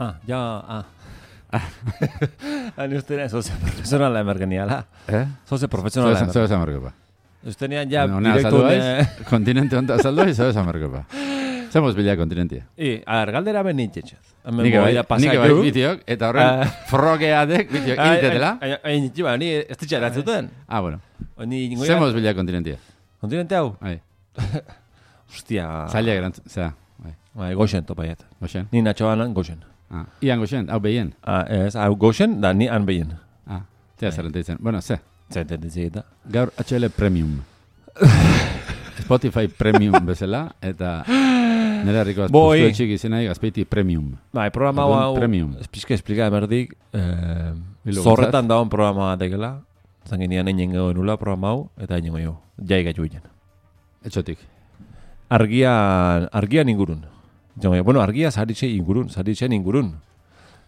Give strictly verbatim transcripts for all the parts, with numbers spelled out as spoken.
Ah, ja, ah. Ni ustenean, soze profesionala emergeniala. Eh? Soze profesionala emergeniala. Zoez amarkopa. Ustenean, ja, Honea direktu... saldu kontinente honta saldu aiz, zoez amarkopa. Zemos bila kontinentia. I, a ver, galdera ben nintxetxez. Nik bai, nik bai bitiok, eta horren frogeadek bitiok initetela. Hain, ba, ni ez ditxa eratzuten. Ah, bueno. Zemos Zemos bila kontinentia. Kontinente hau? Bai. Hostia. Zaila gerantz, zera. Bai, goxen topaiet. Goxen? Ni natxoanan goxen. Ah, ian goxen, hau behien? Ah, ez, hau goxen, da ni han behien. Ah, zera zerrenteitzen. Bueno, ze. Zerrenteitzen eta. Gaur H L Premium. Spotify Premium bezala, eta nire harriko azpuztu etxik izena gazpeiti Premium. Bai, programa hau, espizke esplika emerdik, zorretan dagoen programa batekela, zanginean einen gero nula programa hau, eta einen gero, jai gaitu ginen. Etxotik? Argian, argian ingurun. Bueno, argia zaritxe ingurun, zaritxen ingurun.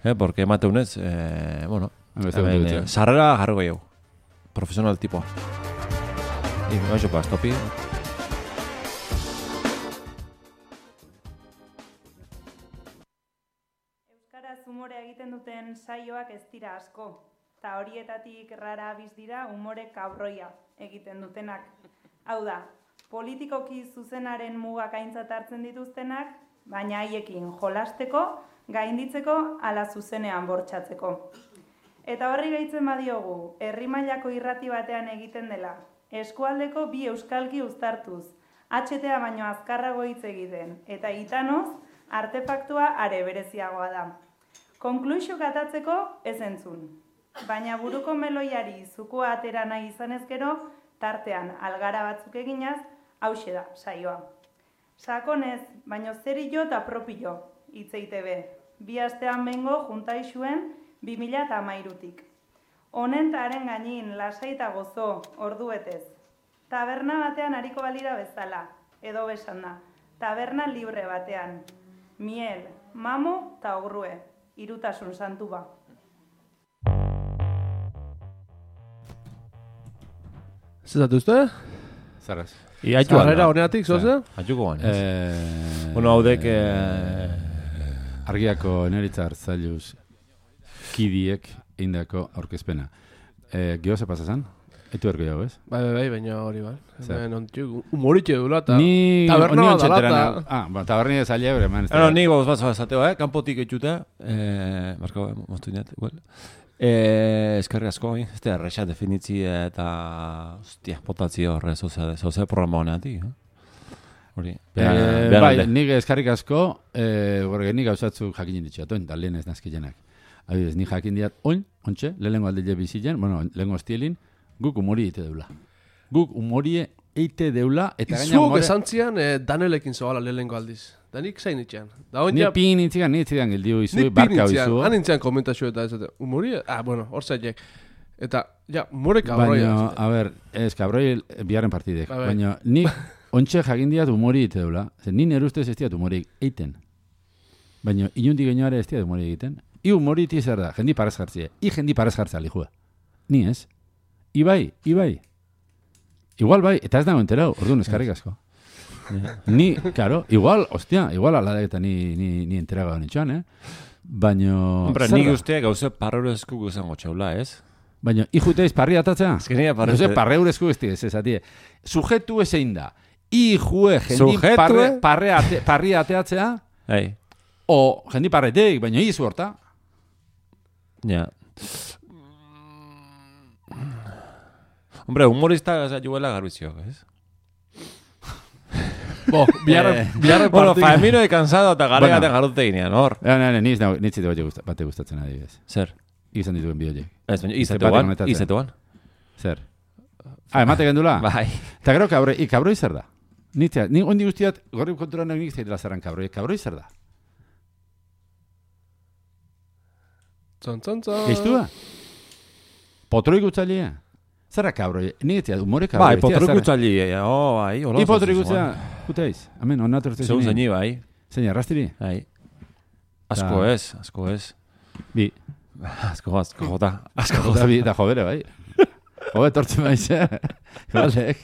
Eh, porque emateunez, eh, bueno, eh, sarrera jarro gehiago. Profesional tipoa. Y no eso para estopi. Euskaraz umorea egiten duten saioak ez dira asko. Ta horietatik rara abiz dira umore kabroia egiten dutenak. Hau da, politikoki zuzenaren mugak aintzat hartzen dituztenak, baina haiekin jolasteko, gainditzeko ala zuzenean bortxatzeko. Eta horri gehitzen badiogu, herri mailako irrati batean egiten dela, eskualdeko bi euskalki uztartuz, H T A baino azkarrago hitz egiten, eta itanoz, artefaktua are bereziagoa da. Konkluxio katatzeko ez entzun, baina buruko meloiari zukua atera nahi izan ezkero, tartean algara batzuk eginaz, hauxe da saioa. Sakonez, baino zerillo eta propillo, hitzeite be. Bi astean bengo juntaixuen bi mila eta hamairutik. Honen eta haren gainin lasai eta gozo orduetez. Taberna batean hariko balira bezala, edo besan da. Taberna libre batean. Miel, mamu eta ogrue. Irutasun santu ba. Zezatu uste? Zarraz. Zarrera honeatik, zoze? Atxuko ganez. Bueno, haudek... Argiako neritza hartzailuz kidiek indako aurkezpena. Geho ze pasazan? Etu erko jau, ez? Bai, bai, baina hori bai. Humoritxe dula eta taberna bat alata. Ah, ba, taberni ez aile ebre, man. No, ni goz bat zateo, eh? Kanpotik etxuta. Marko, moztu inet, igual. Eskerri asko, ez da, errexat definitzi eta, hostia, potatzi horre, zoze programa honeatik, hori. Bai, nik eskerrik asko, borge nik gauzatzuk jakinen ditxatuen, eta lehen ez nazkilenak. Adibidez, nik jakin diat, oin, ontxe, lehengo aldile bizitzen, bueno, lehengo estielin, guk umori eite deula. Guk umori eite deula, eta gaina umore... Izuok esantzian Danelekin zoala lehengo aldiz. Da nik zain itxean. Ni pin itzigan, ni itzigan gildiu izu, barka izu. Han intzian komentazio eta ez, umori, ah, bueno, hor zaitek. Eta, ja, umore kabroia. Baina, a ber, ez, kabroi biharren partidek. Baina, nik ontxe jakin diat umori eite deula. Ni nire ustez ez diat umori eiten. Baina, inundik geinoare ez diat umori egiten. I umori iti zer da, jendi parez jartzie. I jendi parez jartzea lijua. Ni ez. Ibai, ibai. Igual bai, eta ez dago enterau, orduan eskarrik asko. Ni, claro, igual, hostia, igual ala eta ni, ni, ni enteraga honetxoan, eh? Baina... Hombre, nik uste gauze parreurezku guzango txaula, ez? Baina, ikute ez parri atatzea? Ez que nire parri... Gauze parreurezku ez ez ezatie. Sujetu ezein da. Ijue, jendi parre, parre ate, parri ateatzea? Ei. O, jendi parreteik, baina izu horta? Ja. Hombre, humorista juela garbizioak, ez? Bo, biarre partidu. Bueno, Famino de cansado eta garegaten jarrute ginean, hor. Ja, ne, ne, niz nitzite bate gustatzen adibidez. Zer? Izan dituen bideoiek. Ez, baina izetuan, izetuan. Zer? Ah, emate gendula? Bai. Eta gero kabroi, i kabroi zer da? Nitzea, ni ondi guztiat, gorri konturan nik zaitela zerran kabroi, kabroi zer da? Zon, zon, zon. Geiztua? Potroi gutzailea? Zerra kabroi, nitzea, umore kabroi. Bai, potroi gutzailea, oh, bai, hola. I potroi gutzea, guteiz, amen, onatu ertzen zini. Zeun zeni, bai. Zein, arrastiri? Bai. Asko ez, asko ez. Bi. Asko, asko jota. Asko jota, bi, eta jobere, bai. Jobe, tortzen baiz, eh? Baldek.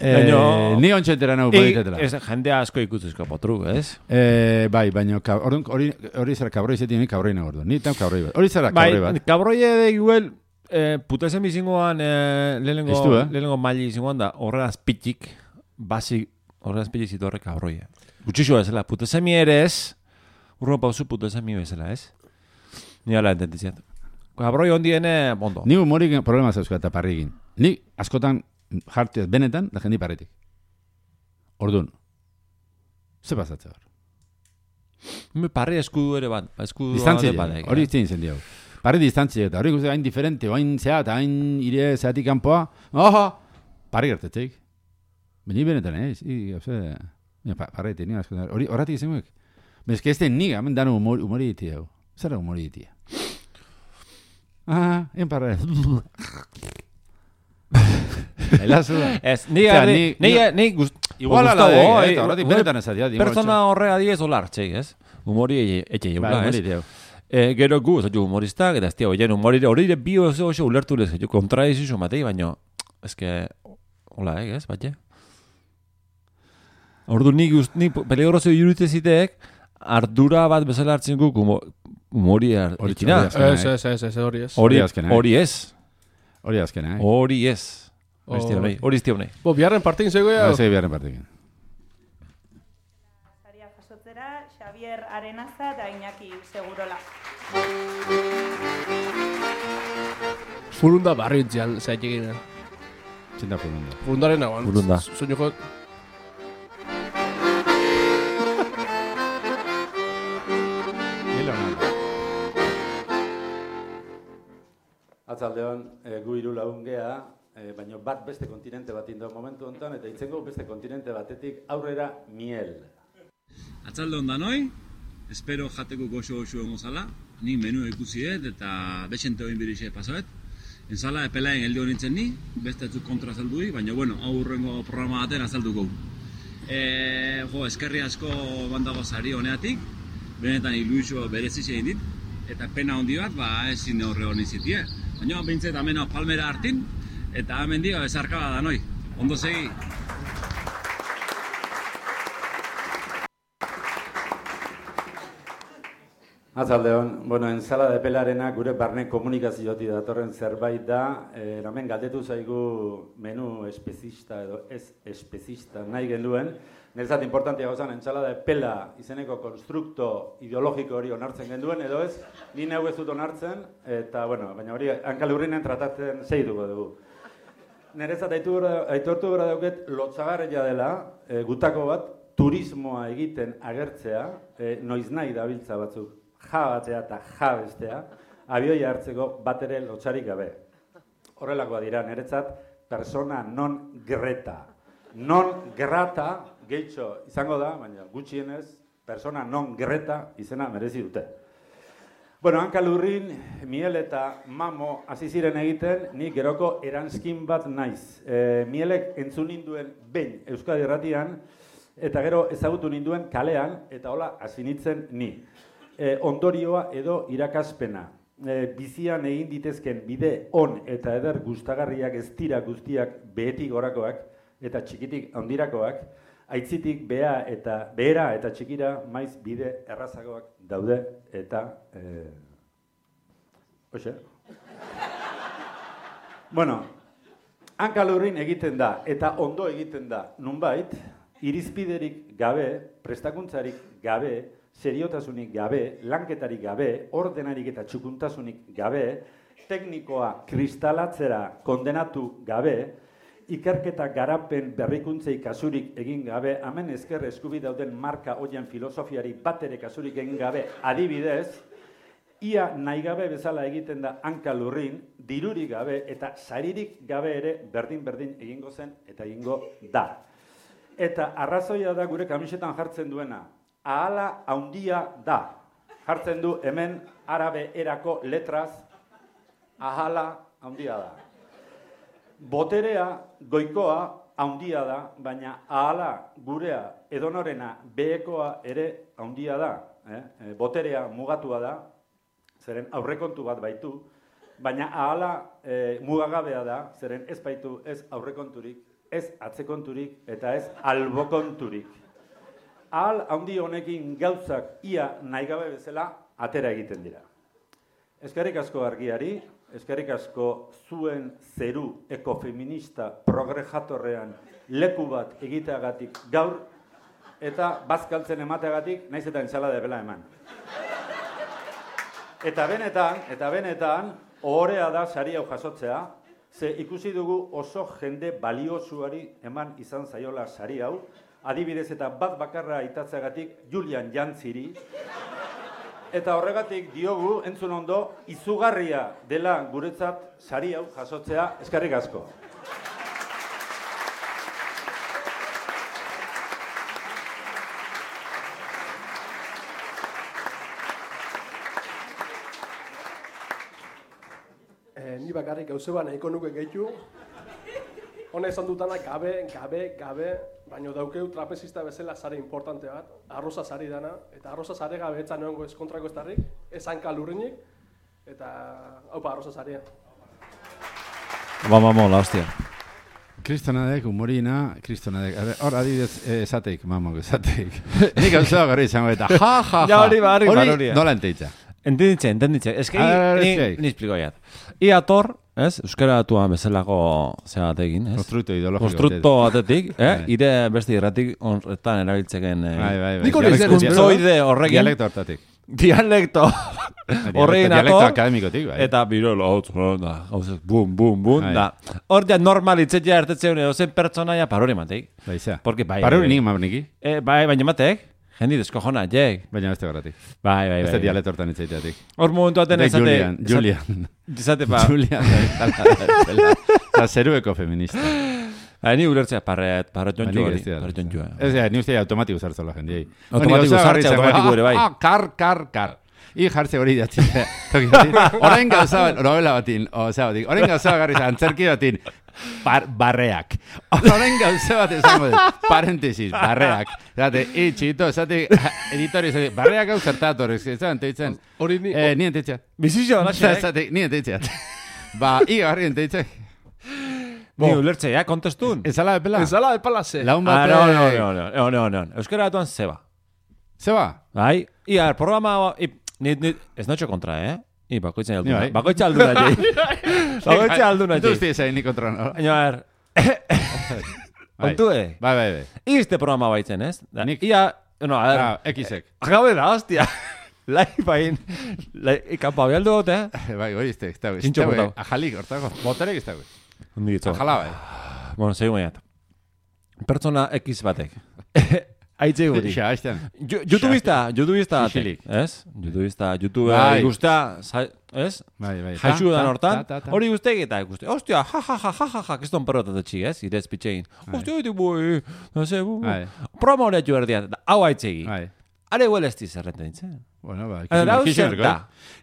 Eh, ni ontxentera nahu politetela. Ez jende asko ikutuzko potru, ez? Eh, bai, baina hori hori zara kabroi zetin, ni kabroi nago orduan. Ni tam kabroi bat. Hori zara kabroi bat. Bai, kabroi de igual eh, putesen bizingoan eh, lehenengo, Estu, eh? lehenengo maili izingoan da horre azpitik, basi horre azpitik zitorre kabroia. Gutxixo bezala, putesemi ere ez, urro pauzu putesemi bezala, ez? Ni ala ententiziat. Kabroi ondiene, bondo. Ni humorik problema zauzka eta parrikin. Ni askotan jartez benetan, da jendi parritik. Orduan, ze pasatzen hor? Me parri eskudu ere bat, eskudu Distantzia, bat. hori izten zen diau. Parri distantzia, eta hori guzti hain diferente, hain zea, eta hain ire zeatik kanpoa, oho, parri gertetzeik. Baina benetan, eh? I, ose, pa, parri eti, nire askotan, hori horretik izan guek. Bez que este niga, men dano humor, humori ditia, hau. Zara humori ditia. Ah, en parra. Elazu da. Ez, ni ni ni ni gust igual ala da, eta horretik benetan ez adia. Persona horrega diez olar, txei, ez? Humori etxe jeula, ez? Eh, gero gu, ez humoristak, eta ez tia, oien humori hori ere bio oso oso ulertu lez, jo kontradizio matei, baino, ez que, hola, eh, ez, batxe? Ordu ni gust, ni peligroso iruditze ziteek, ardura bat bezala hartzen guk humori hartzina. Ez, ez, ez, ez, hori ez. Hori ez. Hori azkena, eh? Hori ez. Hori izti honei. Bo, biharren partekin zegoea? Ba, biharren partekin. Saria jasotzera, Xavier Arenaza eta Iñaki Segurola. Furunda barriutzean, zaitik egin. Txenda furunda. Furundaren nagoan. Furunda. Soño jok. Atzaldeon, e, gu hiru lagun gea, e, baina bat beste kontinente bat indau momentu honetan, eta itzengo beste kontinente batetik aurrera miel. Atzaldeon danoi, espero jateko goxo-goxo emozala, ni menu ikusi dut eta bexente hoin birixe pasoet. Enzala epelaen geldi honintzen ni, beste etzuk kontra azaldui, baina bueno, hau urrengo programa baten azalduko. E, jo, eskerri asko bandago zari honeatik, benetan iluixo berezitxe egin dit, eta pena hondi bat, ba, ezin horre honi zitie. Baina, bintzet, amena palmera hartin, eta hemen dio, ezarkaba da noi. Ondo segi. Atzaldeon, bueno, ensalada de pelarena gure barne komunikaziotik datorren zerbait da, e, hemen galdetu zaigu menu espezista edo ez espezista nahi genuen, niretzat importantia gozan, ensalada de pela izeneko konstrukto ideologiko hori onartzen genduen, edo ez, ni neu ez dut onartzen, eta, bueno, baina hori hankalurrinen tratatzen zeiduko dugu. Niretzat aitortu gara dauket, lotzagarria dela, e, gutako bat, turismoa egiten agertzea, e, noiz nahi dabiltza batzuk, ja batzea eta ja bestea, abioia hartzeko bat ere lotzarik gabe. Horrelakoa dira, niretzat, persona non grata. Non grata, gehitxo izango da, baina gutxienez, persona non grata izena merezi dute. Bueno, hankalurrin, miel eta mamo hasi ziren egiten, ni geroko eranskin bat naiz. E, mielek entzun ninduen behin Euskadi Erratian, eta gero ezagutu ninduen kalean, eta hola hasi nintzen ni. E, ondorioa edo irakaspena. E, bizian egin ditezken bide on eta eder gustagarriak ez dira guztiak behetik gorakoak eta txikitik handirakoak, aitzitik bea eta behera eta txikira maiz bide errazagoak daude eta e... Oxe? Bueno, hankalurrin egiten da eta ondo egiten da nunbait, irizpiderik gabe, prestakuntzarik gabe, seriotasunik gabe, lanketarik gabe, ordenarik eta txukuntasunik gabe, teknikoa kristalatzera kondenatu gabe, ikerketa garapen berrikuntzei kasurik egin gabe, hemen ezker eskubi dauden marka hoien filosofiari bat ere kasurik egin gabe, adibidez, ia nahi gabe bezala egiten da hankalurrin, dirurik gabe eta saririk gabe ere berdin-berdin egingo zen eta egingo da. Eta arrazoia da gure kamisetan jartzen duena, ahala haundia da. Jartzen du hemen arabe erako letraz, ahala haundia da. Boterea, goikoa, haundia da, baina ahala gurea edonorena behekoa ere haundia da. Eh? Boterea mugatua da, zeren aurrekontu bat baitu, baina ahala eh, mugagabea da, zeren ez baitu ez aurrekonturik, ez atzekonturik eta ez albokonturik. Ahal handi honekin gauzak ia nahi gabe bezala atera egiten dira. Eskerrik asko argiari, eskerrik asko zuen zeru ekofeminista progrejatorrean leku bat egiteagatik gaur, eta bazkaltzen emateagatik, naiz eta ensalada bela eman. Eta benetan, eta benetan, ohorea da sari hau jasotzea, ze ikusi dugu oso jende baliosuari eman izan zaiola sari hau, adibidez eta bat bakarra aitatzeagatik Julian Jantziri, eta horregatik diogu, entzun ondo, izugarria dela guretzat sari hau jasotzea, eskerrik asko. Eh, ni bakarrik gauze ba nahiko nuke gehitu. Hona esan dutana gabe, gabe, gabe, baina daukeu trapezista bezala sare importante bat, arroza sari dana, eta arroza sare gabe etzan egongo ez kontrako ez darrik, ez hanka lurrinik, eta haupa arroza saria. Ba, mamo, la hostia. Kristonadek, humorina, kristonadek. Hor, adibidez, esateik, mamok, esateik. Nik gauza gari izango eta, ja, ja, ja. Ja, hori, hori, hori. Hori, nola enteitza. Entenditxe, entenditxe. Ez que, ni, ni espliko jat. Ia tor, ez, euskara atuan bezalako zea batekin, ez? Konstrukto ideologiko. Konstrukto batetik, eh? Ire beste irratik horretan erabiltzeken... Bai, bai, bai. Nik hori zer, Kuntzoide horrekin. Dialekto hortatik. Dialekto horrekin Dialekto ator. akademikotik, bai. Eta birolo, hau, da, gauzak, bum, bum, bum, da. Hor ja normalitzetia ertetzeun edo zen pertsonaia parori mateik. Baiza. Porque bai... Parori nik mabniki. Eh, bai, baina matek. Jendi deskojona, jek. Baina beste garratik. Bai, bai, bai. Beste dialekto hortan itzaiteatik. Hor momentu aten esate... Julian, Julian. Esate pa... Julian, eta zerueko feminista. Hai, ni ulertzea parret, parret jontxu hori. Parret jontxu. Ez, ni uste automatiko zartzola jendiei. Automatiko zartze, automatiko ere bai. Ah, kar, kar, kar. I jartze hori datzi. Orain gauza bat, novela batin, osea batik, orain gauza garri antzerki batin, bar, barreak. Orain gauza bat esango dut, parentesis, barreak. Zate, itxito, zate, editori, zate, barreak hau zertator, ez da, enteitzen. Hori ni... Eh, ni enteitzen. Bizitxo, laxe, Zate, ni enteitzen. Ba, i garri enteitzen. Ni ulertze, ja, kontestun. Ezala epela? Ezala epela ze. Laun Ah, batek... no, no, no, no, no, no, no. Euskara batuan zeba. Zeba? Bai, ia, programa... I, ni, ni, ez notxo kontra, eh? I, bakoitzen alduna. Bai. Bakoitzen alduna, jai. Bakoitzen alduna, Itu jai. uste zain ni kontra, no? Baina, a ver... Kontu, eh? Bai, bai, bai. Izte programa baitzen, ez? Da, Nik- ia... No, a ver... Ah, X-ek. Agabe da, hostia. Lai, bain... Lai, ikampa behaldu gote, eh? Bai, hori izte, ez dago. Txintxo botau. Ajalik, hortago. Boterek ez dago. Ondi ditzo. Ajala, bai. Bueno, segun baiat. Pertsona X batek. Aitze guri. Xa, haiztean. YouTubista, YouTubista Xixilik. batek, ez? YouTubista, YouTube Bai. ikusta, ez? Bai, bai. Jaixu Ta, dan ta, hortan, ta, ta, ta. hori guztek eta ikuste. Ostia, ja, ja, ja, ja, ja, ja, kiston perrotat etxik, ez? Irez pitxegin. Ostia, hori boi, no se, bu, bu. Bai. Promo hori atxu erdian, hau aitzegi. Bai. Are huel ez dizerreten ditzen. Bueno, bai. Hau zer da.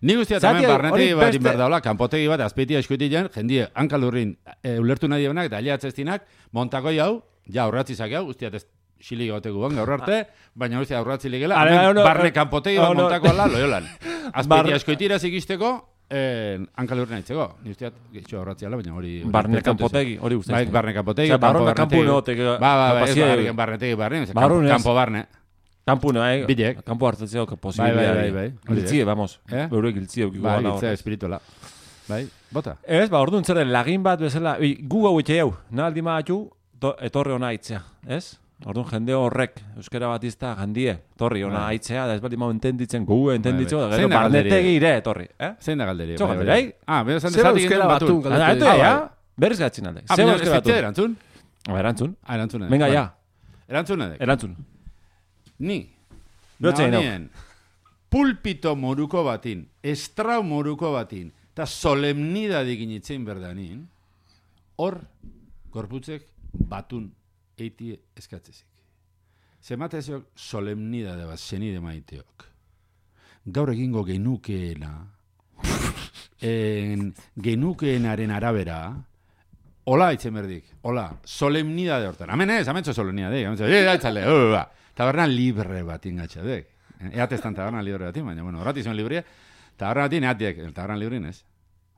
Ni guztia Zati, tamen barnetegi hori bat beste- inberdaula, kanpotegi bat, azpeitia eskuitilean, jendie, hankalurrin e, ulertu nahi debenak, da aliatzeztinak, montakoi hau, ja aurratzizak hau, guztiat ez xilik goteko ban gaur arte, baina guztia aurratzilik gela, Are, hemen no, barne no, kanpotegi no, bat no. montako ala, loiolan. Barne- Azpeitia eskuitira zikisteko, eh, hankalurrin aitzeko. Ni usteat, getxo aurratziala, baina hori... hori Barne importante kanpotegi, hori guztia. Bai, barne kanpotegi, Osea, barrona kanpu neotek, Ba, ba, ba, ez kapazia- barne barnetegi barne, ez, Barrun ez. kanpo barne. Kampu, no, eh? Bilek. Kampu hartzetzeo, que Bai, posibilidad. bai, bai, bai. Hori Giltzie, vamos. Eh? Beurek giltzie, eukiko Bai, gana giltzea hor. espirituala. Bai, bota. Ez, ba, orduan zer den, lagin bat bezala, ui, gu hau itxe jau, naldi maatxu, to, etorri ona aitzea, ez? Orduan jende horrek, euskera bat izta, jandie, torri ona Bai. aitzea, da ez bali mau entenditzen, gu entenditzen, Bai, bai. da gero Zein da galderi? barnetegi ire, etorri, eh? Zein da galderi? Zo galderi, bai? Ah, bera zan Zer desatik euskera egiten batun batun. Ah, galdetu. eto, Ah, ja? bai. Berriz gatzin alde. Ah, Zeba baina euskera ez fitze batu. erantzun? Ba, erantzun. Ah, erantzun. Venga, ja. Erantzun edek. Erantzun. Ni. Lotzen hau. nahonien, pulpito moruko batin, estrau moruko batin, eta solemnidadik initzen berdanin, hor, gorputzek batun eiti eskatzezik. Zematezok solemnidade bat zenide maiteok. Gaur egingo genukeena, en, genukeenaren arabera, hola itzen berdik, hola, solemnidade hortan. Hemen ez, amentzo solemnidade, amentzo, eh, aitzale, uh, ba. Taberna libre bat ingatxadek. Eatestan taberna libre batin, baina, bueno, horrati zuen librea, taberna batin eatiek, el taberna librin ez.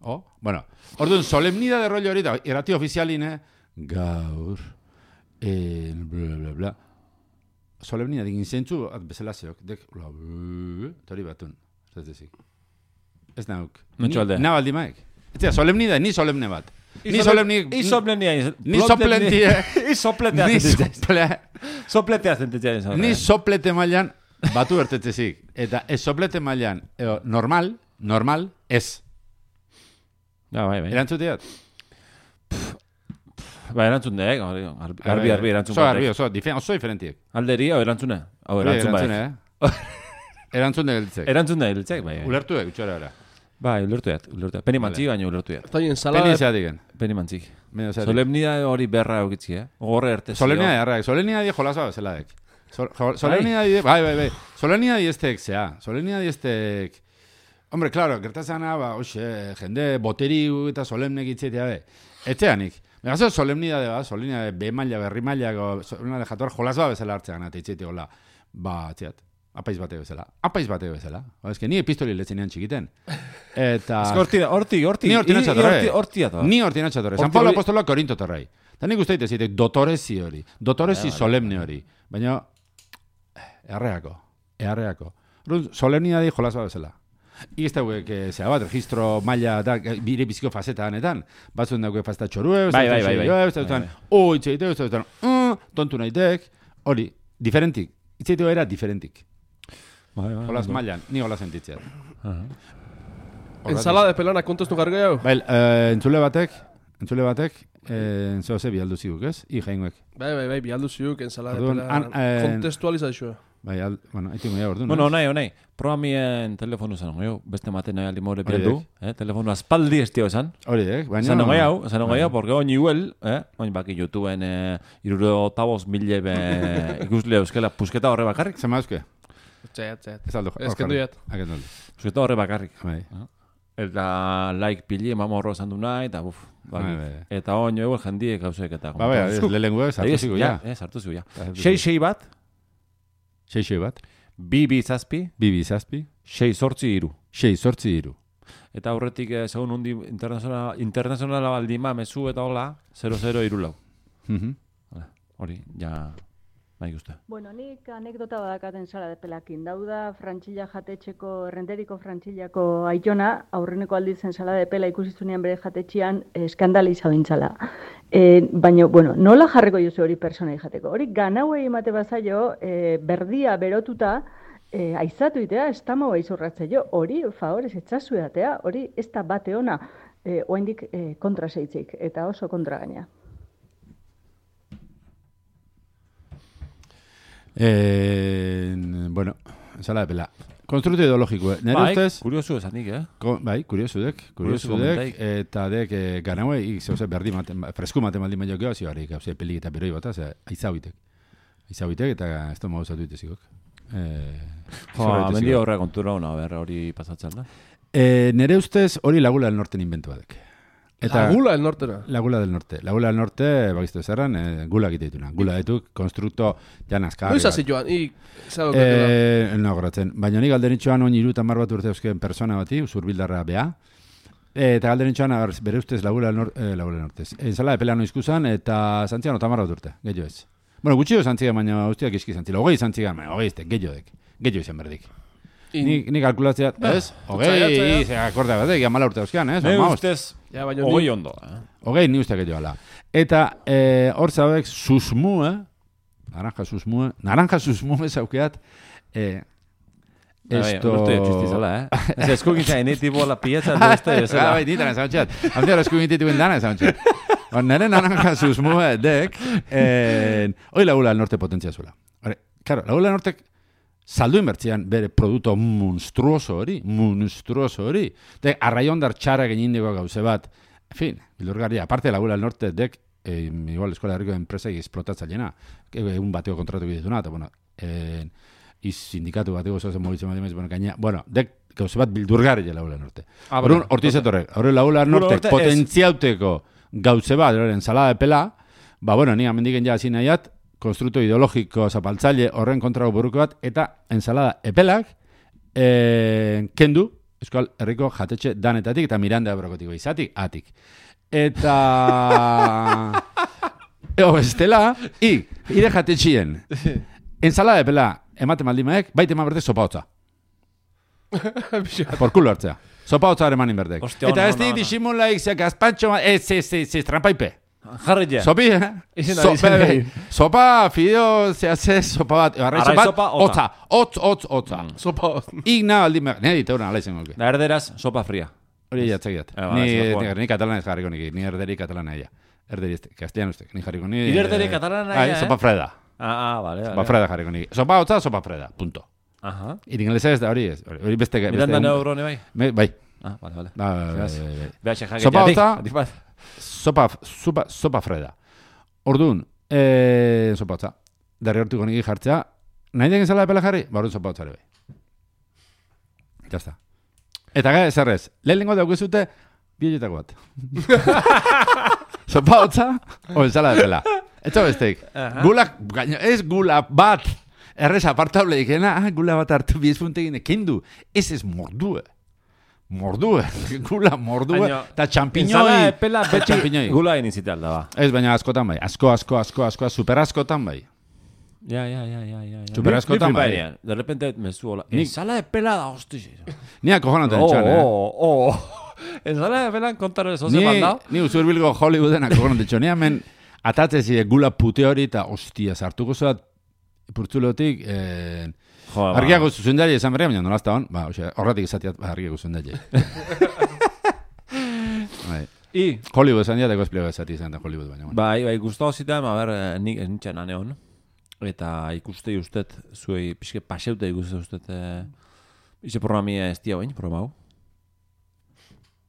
Oh, bueno, orduan, solemnidade rollo hori, erati ofizialine, gaur, eh, bla, bla, bla. Solemnia digin zentzu, bezala zeok, dek, bla, bla, tori batun, ez dezik. Ez nauk. Mentxo alde. Na baldi maek. Ez da, solemni da, ni solemne bat. Ni solemni... I solemnia. Ni soplentie. I sopletea Ni zentetzen. sople... Sopletea zentetzen. Ni soplete mailan batu ertetzezik. Eta ez soplete mailan, eo, normal, normal, ez. Ja, bai, bai. Erantzuteat? Ba, erantzun da, eh? Garbi, garbi, erantzun Oso garbi, oso, difen, oso diferentiek. Alderi, hau erantzuna. Hau erantzun bai. Erantzun da geltzek. Erantzun da geltzek, bai. Ulertu da, gutxora era. Bai, ulertuet, ulertuet. Peni mantzik, baina ulertuet. Eta ensalada... Peni zeatiken. Peni mantzik. Solemnia hori berra eukitzi, eh? Gorre ertezio. Solemnia errak, solemnia di jolaza bezeladek. Solemnia di, bai, bai, bai. Solemnia di estek, zea. Solemnia di estek... Hombre, claro, gertazana, ba, oxe, jende boteri eta solemnek itzetea, be. Etzeanik. Megazo solemnia de, ba, solemnia de B-maila, berri-maila, solemnia de jator jolaza bezala hartzean, eta itzetea, hola. Ba, atziat. Apaiz bate bezala. Apaiz bate bezala. Ba, eske ni epistoli letzenean txikiten. Eta... Ez horti, horti, horti. Ni horti natxatorre. Horti ato. Ni horti natxatorre. San Pablo apostoloak Korinto torrei. Eta nik usteite zitek dotorezi hori. Dotorezi solemne hori. Baina, erreako. Erreako. Solemnia di jolaz bat bezala. Ix dauek, zera bat, registro maila da, bire biziko fazeta hanetan. Batzuen dauke fazeta txorue, bai, bai, bai, bai. ez duten, oi, itzeite, ez duten, tontu nahitek, hori, diferentik. Itzeite era diferentik. Bai, bai. Olaz mailan, ni hola sentitzeat. Ensalada de pelana kontestu gargo jau? Bai, entzule batek, entzule batek, entzule ze bialdu ziguk, ez? I jainguek. Bai, bai, bai, bialdu ziguk, ensalada de pelana kontestualizazioa. Bai, al, bueno, haitu goia ordu. Bueno, nahi, nahi. Programien telefonu zan, goio, beste maten nahi alimore bialdu. Eh? Telefonu aspaldi ez tio esan. Hori dek, baina... Zan ogei hau, zan ogei hau, porque oin iguel, eh? Oin baki YouTubeen eh, iruro taboz mille be ikusle euskela pusketa horre bakarrik. Zema euske? Txaiat, txaiat. Ez aldo. Ezkendu jat. Pusketa horre bakarrik. Bai. Eta like pili, mamo horro esan du nahi, eta buf. Eta oin eguel jendiek gauzek eta... Ba, bai, lehengu ez, hartu zigu, ja. Ez, hartu zigu, ja. Sei-sei bat. Sei-sei bat. Bi-bi zazpi. Bi-bi zazpi. Sei sortzi iru. Sei sortzi iru. Eta aurretik, eh, segun undi internazionala, internazionala baldima, mezu eta hola, zero zero iru lau. Hori, ja, nahi guzti. Bueno, nik anekdota badakaten sala de pelakin. Dauda frantxilla jatetxeko, errenderiko frantxillako aitona, aurreneko aldizen sala de pela ikusizunean bere jatetxian eskandaliza bintzala. E, baina, bueno, nola jarreko jozu hori personai jateko? Hori ganauei emate bazaio, e, berdia berotuta, e, aizatu itea, estamo izurratze jo. Hori, favorez, etxasu edatea, hori ez da bate ona, e, oaindik e, kontra zeitzik, eta oso kontra gaina. Eh, bueno, sala de pela. Konstruktu ideologiko, eh? Nere bai, ustez... kuriosu esanik, eh? Ko, bai, kuriosu dek. Kuriosu dek, eta dek, eh, ganaue, zehose berdi maten, fresku maten baldin baino geho, zioarik, hauze, pelik eta beroi bat, ze, aizabitek. Aizabitek, eta ez da mauzatu itezikok. Eh, jo, amendi horre kontura hona, ber, hori pasatzen da. Eh, nere ustez, hori Lagula del Norten inventu badek. Eta Lagula del Nortera. Lagula del Norte. Lagula del Norte, bakiztu zerran, eh, gula egite dituna. Gula dituk, konstrukto, jan azkarri. Noiz hasi joan, ik, zago eh, no, gratzen. Baina ni galderitxoan oin iru tamar bat urte eusken persona bati, usurbildarra bea. E, eta galderitxoan, bere ustez Lagula del Norte, eh, Lagula del Norte. Enzala de pelano izkuzan, eta zantzian otamar bat urte, gehiago ez. Bueno, gutxio zantzian, baina ustiak iski zantzila. Ogei zantzian, baina ogei izte, gehiago dek. Gehiago izan berdik. Ni, ni kalkulatzea, ez? Ogei, ze akorda batek, jamala urte euskean, ez? Ne ustez, ja, ogei ondo. Eh? Ogei ni usteak edo ala. Eta hor eh, zabek, susmue, naranja susmue, naranja susmue zaukeat, eh, esto... Urte txistizala, eh? Ez eskugintza, eni tipo la pieza de este, ez da? Bai, ditaren zauntxeat. Hamzera eskugintza dituen dana zauntxeat. Nere naranja susmue dek, hoi lagula al norte potentzia zuela. Claro, lagula al nortek, saldu inbertzian bere produkto monstruoso hori, monstruoso hori. Dek, arraiondar txara genindiko gauze bat. En fin, bildurgarria, aparte Lagula del Norte dek, eh, igual eskola herriko enpresai esplotatzaileena, egun bateko kontratu dituna, eta bueno, eh, iz sindikatu bateko zozen mobitzen bat emez, bueno, gaina, bueno, dek, gauze bat bildurgarria Lagula del Norte. Ah, Horun, hortizetorrek, horre Lagula del Norte, potentziauteko gauze bat, ensalada de pela, ba, bueno, ni amendiken ja hasi nahiat, konstrukto ideologiko zapaltzaile horren kontrago buruko bat, eta ensalada epelak eh, kendu Euskal Herriko jatetxe danetatik eta Miranda Abrokotiko izatik, atik. Eta... Ego, estela, i, ire jatetxien. Ensalada de pela, ematen maldimaek, baite eman berdek sopa hotza. Por culo hartzea. Sopa hotza ere manin berdek. Hostia, Eta no, ez no, di no. disimulaik, ze gazpantxo, ez, ez, ez, ez, trampaipe. Jarri ja. Sopi, eh? Izen da, So- izen da. Sopa, fideo, zehazze, sopa bat. Arrai Arrai sopa, sopa, hotza. Hotz, hotz, hotza. Sopa. Igna aldi mer... Nire diteuna, ala izango luke. Da erderaz, sopa fria. Hori jatzakiat. Eh, ba, Ni, ez da ni, joan. ni katalanez jarriko nik, ni erderi katalana ella. Erderi este, castellanuztek, ni jarriko ni... Ire erderi katalana Ai, ella, eh? sopa freda. Ah, ah, vale, vale. Sopa freda jarriko nik. Sopa hotza, sopa freda, punto. Aha. Iringeleza ez da hori ez. Hori beste... beste Miranda un- neurone bai? Me- Bai. Ah, vale, vale. Ba, bai, Beraz. bai, bai. Behatxe jaket Sopa jatik. hotza- Atik bat. Sopa, sopa, sopa freda. Orduan, eh, sopa hotza. Derri hortuko niki jartzea. Nahi degen zala epela jarri? Ba, orduan sopa hotzare bai. Ya está. Eta gara, zerrez, lehenengo daukizute, bi horietako bat. Sopa hotza, o ensala de pela. Etxo besteik. Gula, gaino, ez gula bat. Errez apartable ikena, ah, gula bat hartu bizpuntegin ekindu. Ez ez mordue. Mordue. Gula mordue. Baina, Eta txampiñoi. Ensala epela eta beti txampiñoi. gula inizital da, ba. Ez, baina askotan bai. Asko, asko, asko, asko, super askotan bai. Ja, ja, ja, ja, ja. ja. Super Ni- askotan ni bai. flipaenean. De repente mezu hola. Nik- Ensala epela da, hosti. Ni acojonatu Oh, entxan, eh? oh, oh. Ensala epela kontaro eso se Ni, mandao. ni usurbilgo Hollywooden acojonatu entxan. Ni hemen atatzez gula pute hori eta hostia, sartuko zoat purtzulotik... Eh, Jo, ba. Argiago zuzendari esan berria, baina nolazta hon. Ba, ose, horretik esatiat ba, argiago zuzendari. Bai. I, Hollywood esan diateko esplego esati izan da Hollywood, baina. Bueno. bai, bai, gustau zitan, a ber, eh, nik nintzen aneon. Eta ikustei ustet, zuei pixke paseute ikuste ustet, eh, ize programia ez dia bain, programa hau.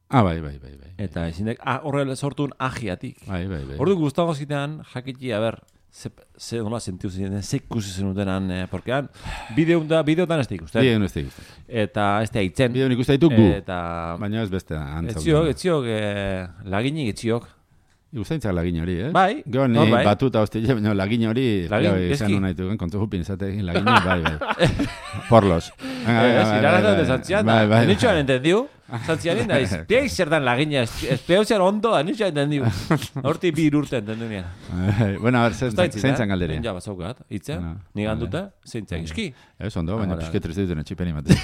Ah, bai, bai, bai, bai. Eta ezindek, ah, horrela sortun agiatik. Bai, bai, bai. Ordu gustago zitan, jakiti, a ber, ze, ze nola sentiu zineten, ze ikusi zenutenan, eh, porkean, bideon da, bideotan ez da ikusten. Bideo ez da ikusten. Eta ez da hitzen. Bideo nik uste ditu gu. Eta, Baina ez beste antzau. etziok, etziok, eh, laginik etziok. Igustaintzak lagin hori, eh? Bai, Gero ni hor bai. batuta hostile, baina lagin hori... Lagin, bai, eski. izan nahi duen, kontu jupin izatekin lagin bai, bai. Porlos. Venga, Eh, venga, ez, bai, iragatzen bai, de bai. zantzian, Bai, bai, nitxoan bai. entendiu, zantzianin da, izpiai zer dan lagina, espeo zer ondo da, nitxoan entendiu. Horti bi urte entendu nian. Bai, bueno, a ver, zein zein zan galderia. Ja, bazaukat, hitza, Bueno, ni vale. ganduta, zeintzak iski. Ez ondo, baina vale, pixke triste dituen etxipen imate.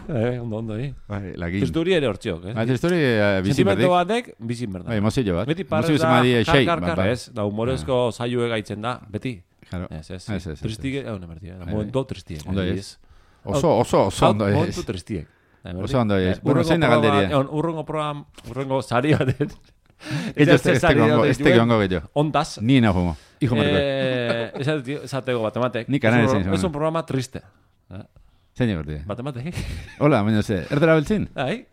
Eh, ondo, ondo, eh. Bai, lagin. Testuri ere hortziok, eh. Bai, histori bizin Sentimentu berdik. batek, bizin berda. Bai, mozillo bat. Beti Mozillo parrez da, zemadi kar, xei. kar, ba, kar, ba. ez, da humorezko saioe gaitzen da, beti. Claro. Ez, ez, Ez, ez, ez, tristik, ez. eh, hone bertia, Bai, momentu tristiek. Ondo eh, ez. Oso, oso, oso Hau, ondo ez. momentu tristiek. Da, berdi? Oso ondo ez. Eh, Bueno, urrengo zein da programa- galderia? egon, Urrengo program, urrengo sari batet. Ello este este gongo, este gongo gehiago. Ondaz. Ni na fumo. Hijo marco. Eh, esate- esateko batematek. Ni kanari Es un- zein zuen. Es un programa triste. Eh, Zein egorti. Batematek. Hola, baina ze, erdera beltzin? Ai,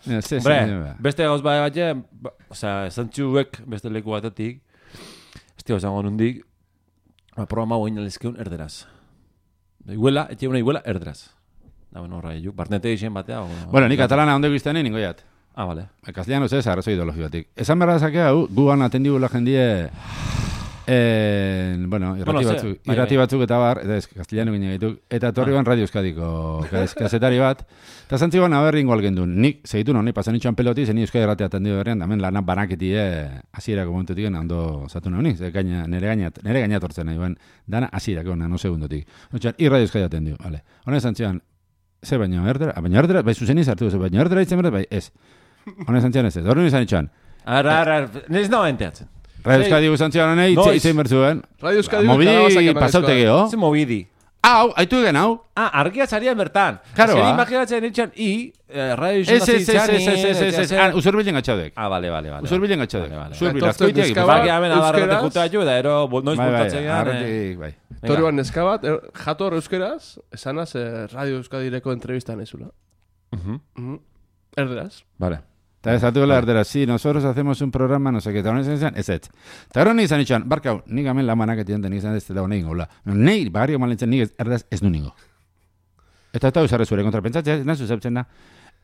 Baina ze, Hombre, ze, beste gauz bai bat, ba, osea, zantzuek beste leku batetik, ez tio esango nundik, ba, programa hau inalezkeun erderaz. Da, iguela, etxe una iguela erderaz. Da, bueno, horra, juk, barnete izen batea. O, Bueno, ni katalana ondo guztani ningo jat. Ah, vale. Castellanos ez, arrazo ideologiotik. Esan behar dazake hau, gugan atendigula jendie... Eh, bueno, irrati, Bueno, ze, batzuk, bai, irrati bai. batzuk eta bar, eta ez, castellano gine gaituk, eta torri ban Radio Euskadiko kaz- kazetari bat, eta zantzigoan aberringo algendun, nik, segitu no, ni pasan itxuan peloti, zen ni Euskadi irratia atendido berrean, damen lanak banaketi hasierako momentutik ondo zatu nahi, ze gaina, nere gainat, nere gainat hortzen nahi, ben, dana hasierako no segundotik. Otxan, i Radio Euskadi atendido, vale. Hone zantzigoan, ze baino erdera, baino erdera, bai zuzeni zartu, ze baino erdera itzen berda, bai, ez. Hone zantzigoan ez ez, horren izan itxuan, Ara, ara, nes no enteatzen. Radio Euskadi guzantzigoan honei, Noiz. itzein bertzuen. Radio Euskadi Mobili pasaute geho. Ze movidi. Hau, haitu egen hau. Ah, argia zarian bertan. Claro, Azken ba. imaginatzen nintzen, i, eh, radio Ez, ez, ez, ez, izan ez, ez, ez, ez, ah, usurbilen gatxaudek. Ah, vale, vale, vale. Usurbilen gatxaudek. Vale, vale. Usurbil, Etortzen azkoitiak. dizkaba- ipatu. Baki hamen adarrete Euskeraz. juta jo, da ero, bo- noiz Bai, bai, bultatzen gan, eh. arretik, bai. Torioan neska bat, er, jator euskeraz, esanaz eh, Radio Euskadireko entrevistan ezula. Mhm. Mhm. Erderaz. Vale. Eta ez atu erdera, sí, nosotros hacemos un programa, no sé qué, eta honen izan, ez ez. Eta gero ni izan itxan, barkau, nik amen lamanak etienten, nik izan ez dela honein gola. Nei, bagarrio malentzen, nik ez, erdaz ez du ningo. Eta eta usarre zure kontra pentsatzea, ez nazu zeptzen da,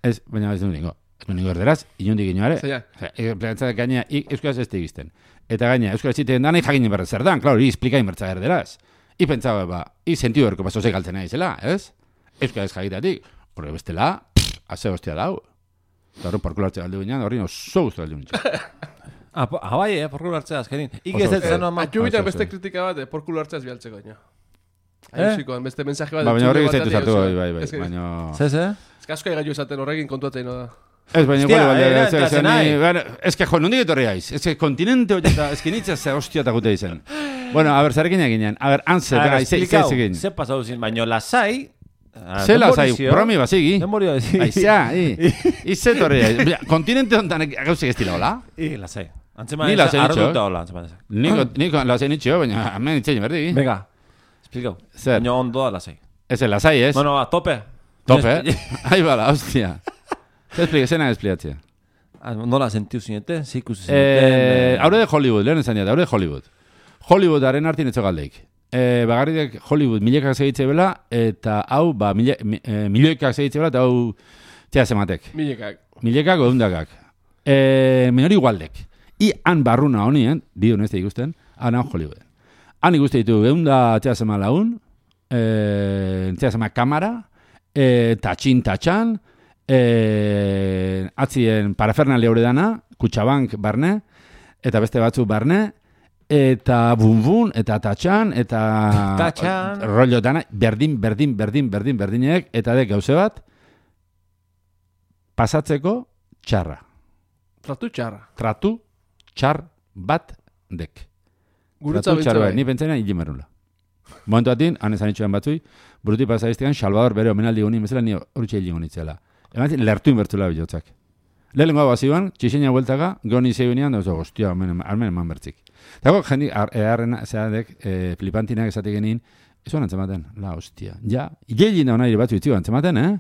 ez, baina ez du ningo. Ez du ningo erderaz, inundik inoare. Zeia. Pentsatzea gaina, ik euskaraz ez tegizten. Eta gaina, euskaraz ziten dan, jakinen berrez zer dan, klaro, i esplikain bertza erderaz. I pentsaba, ba, i sentido erko paso galtzen nahi zela, ez? Euskaraz jakitatik, horre bestela, pff, haze hostia dau. Eta horren porkulo hartzea galdu ginean, horren oso guztu galdu ginean. Ah, bai, eh, porkulo hartzea azkenin. Ike ez ez zeno ama... Atxubitan beste kritika bat, porkulo hartzea ez bialtzeko ina. Aizikoan, beste mensaje bat... Ba, baina horrek ez zaitu zartu, bai, bai, bai. Baina... Zez, eh? Ez que asko egaitu esaten horrekin kontuatzen no da. Ez, baina igual, baina, ez que jo, nondik etorri haiz? Ez que kontinente hori eta ez que nitzea ze hostia eta gute izen. Bueno, a ver, zarekin eginen. A ver, anse, bera, ize egin. Ze pasau zin, baina lasai... Ze lasai, bromi bazigi. Denborio bazigi. Aizea, i. Ize etorri haiz. Kontinente honetan gauzek ez dira, hola? I, lasai. Antzema ez arruta hola, antzema ez. Niko lasai nitxio, baina hemen nitxein berdi. Venga, esplikau. Zer? Baina ondoa lasai. Ez el lasai, ez? Bueno, va, tope. Tope? Ahí bala, hostia. Zer explique, zena explicatzea. Nola sentiu zinete, zikus zineten... Haure de Hollywood, lehen esan diat, haure de Hollywood. Hollywoodaren hartin etxo galdeik. E, bagarriak Hollywood milekak segitze bela, eta hau, ba, mile, mi, e, milekak segitze bela, eta hau, txea zematek. Milekak. Milekak odundakak. E, Minori igualdek. I han barruna honien, bi honeste ikusten, han hau Hollywood. Han ikuste ditu, eunda txea zema laun, e, txea zema kamera, e, tatxin tatxan, e, atzien parafernalia hori dana, Kutxabank barne, eta beste batzuk barne, eta bun-bun, eta tatxan, eta tatxan, rollo dana, berdin, berdin, berdin, berdin, berdinek, eta dek gauze bat, pasatzeko txarra. Tratu txarra. Tratu txar bat dek. Guretza Tratu bat, ni pentsaina hili merula. Momentu batin, han esan itxuan batzui, buruti pasaiztean, Salvador bere omenaldi goni, mesela ni horretxe hili gonitzela. Eman lertu inbertzula bilotzak. Lehenengo bazioan, txixeina bueltaka, goni zeiunean, da, hostia, armen eman bertzik. Dago, jendi, eharrena, zeadek, e, flipantinak esatik genin, ezuan antzematen, la, hostia. Ja, hilin da hona ire batzu itzigo antzematen, eh?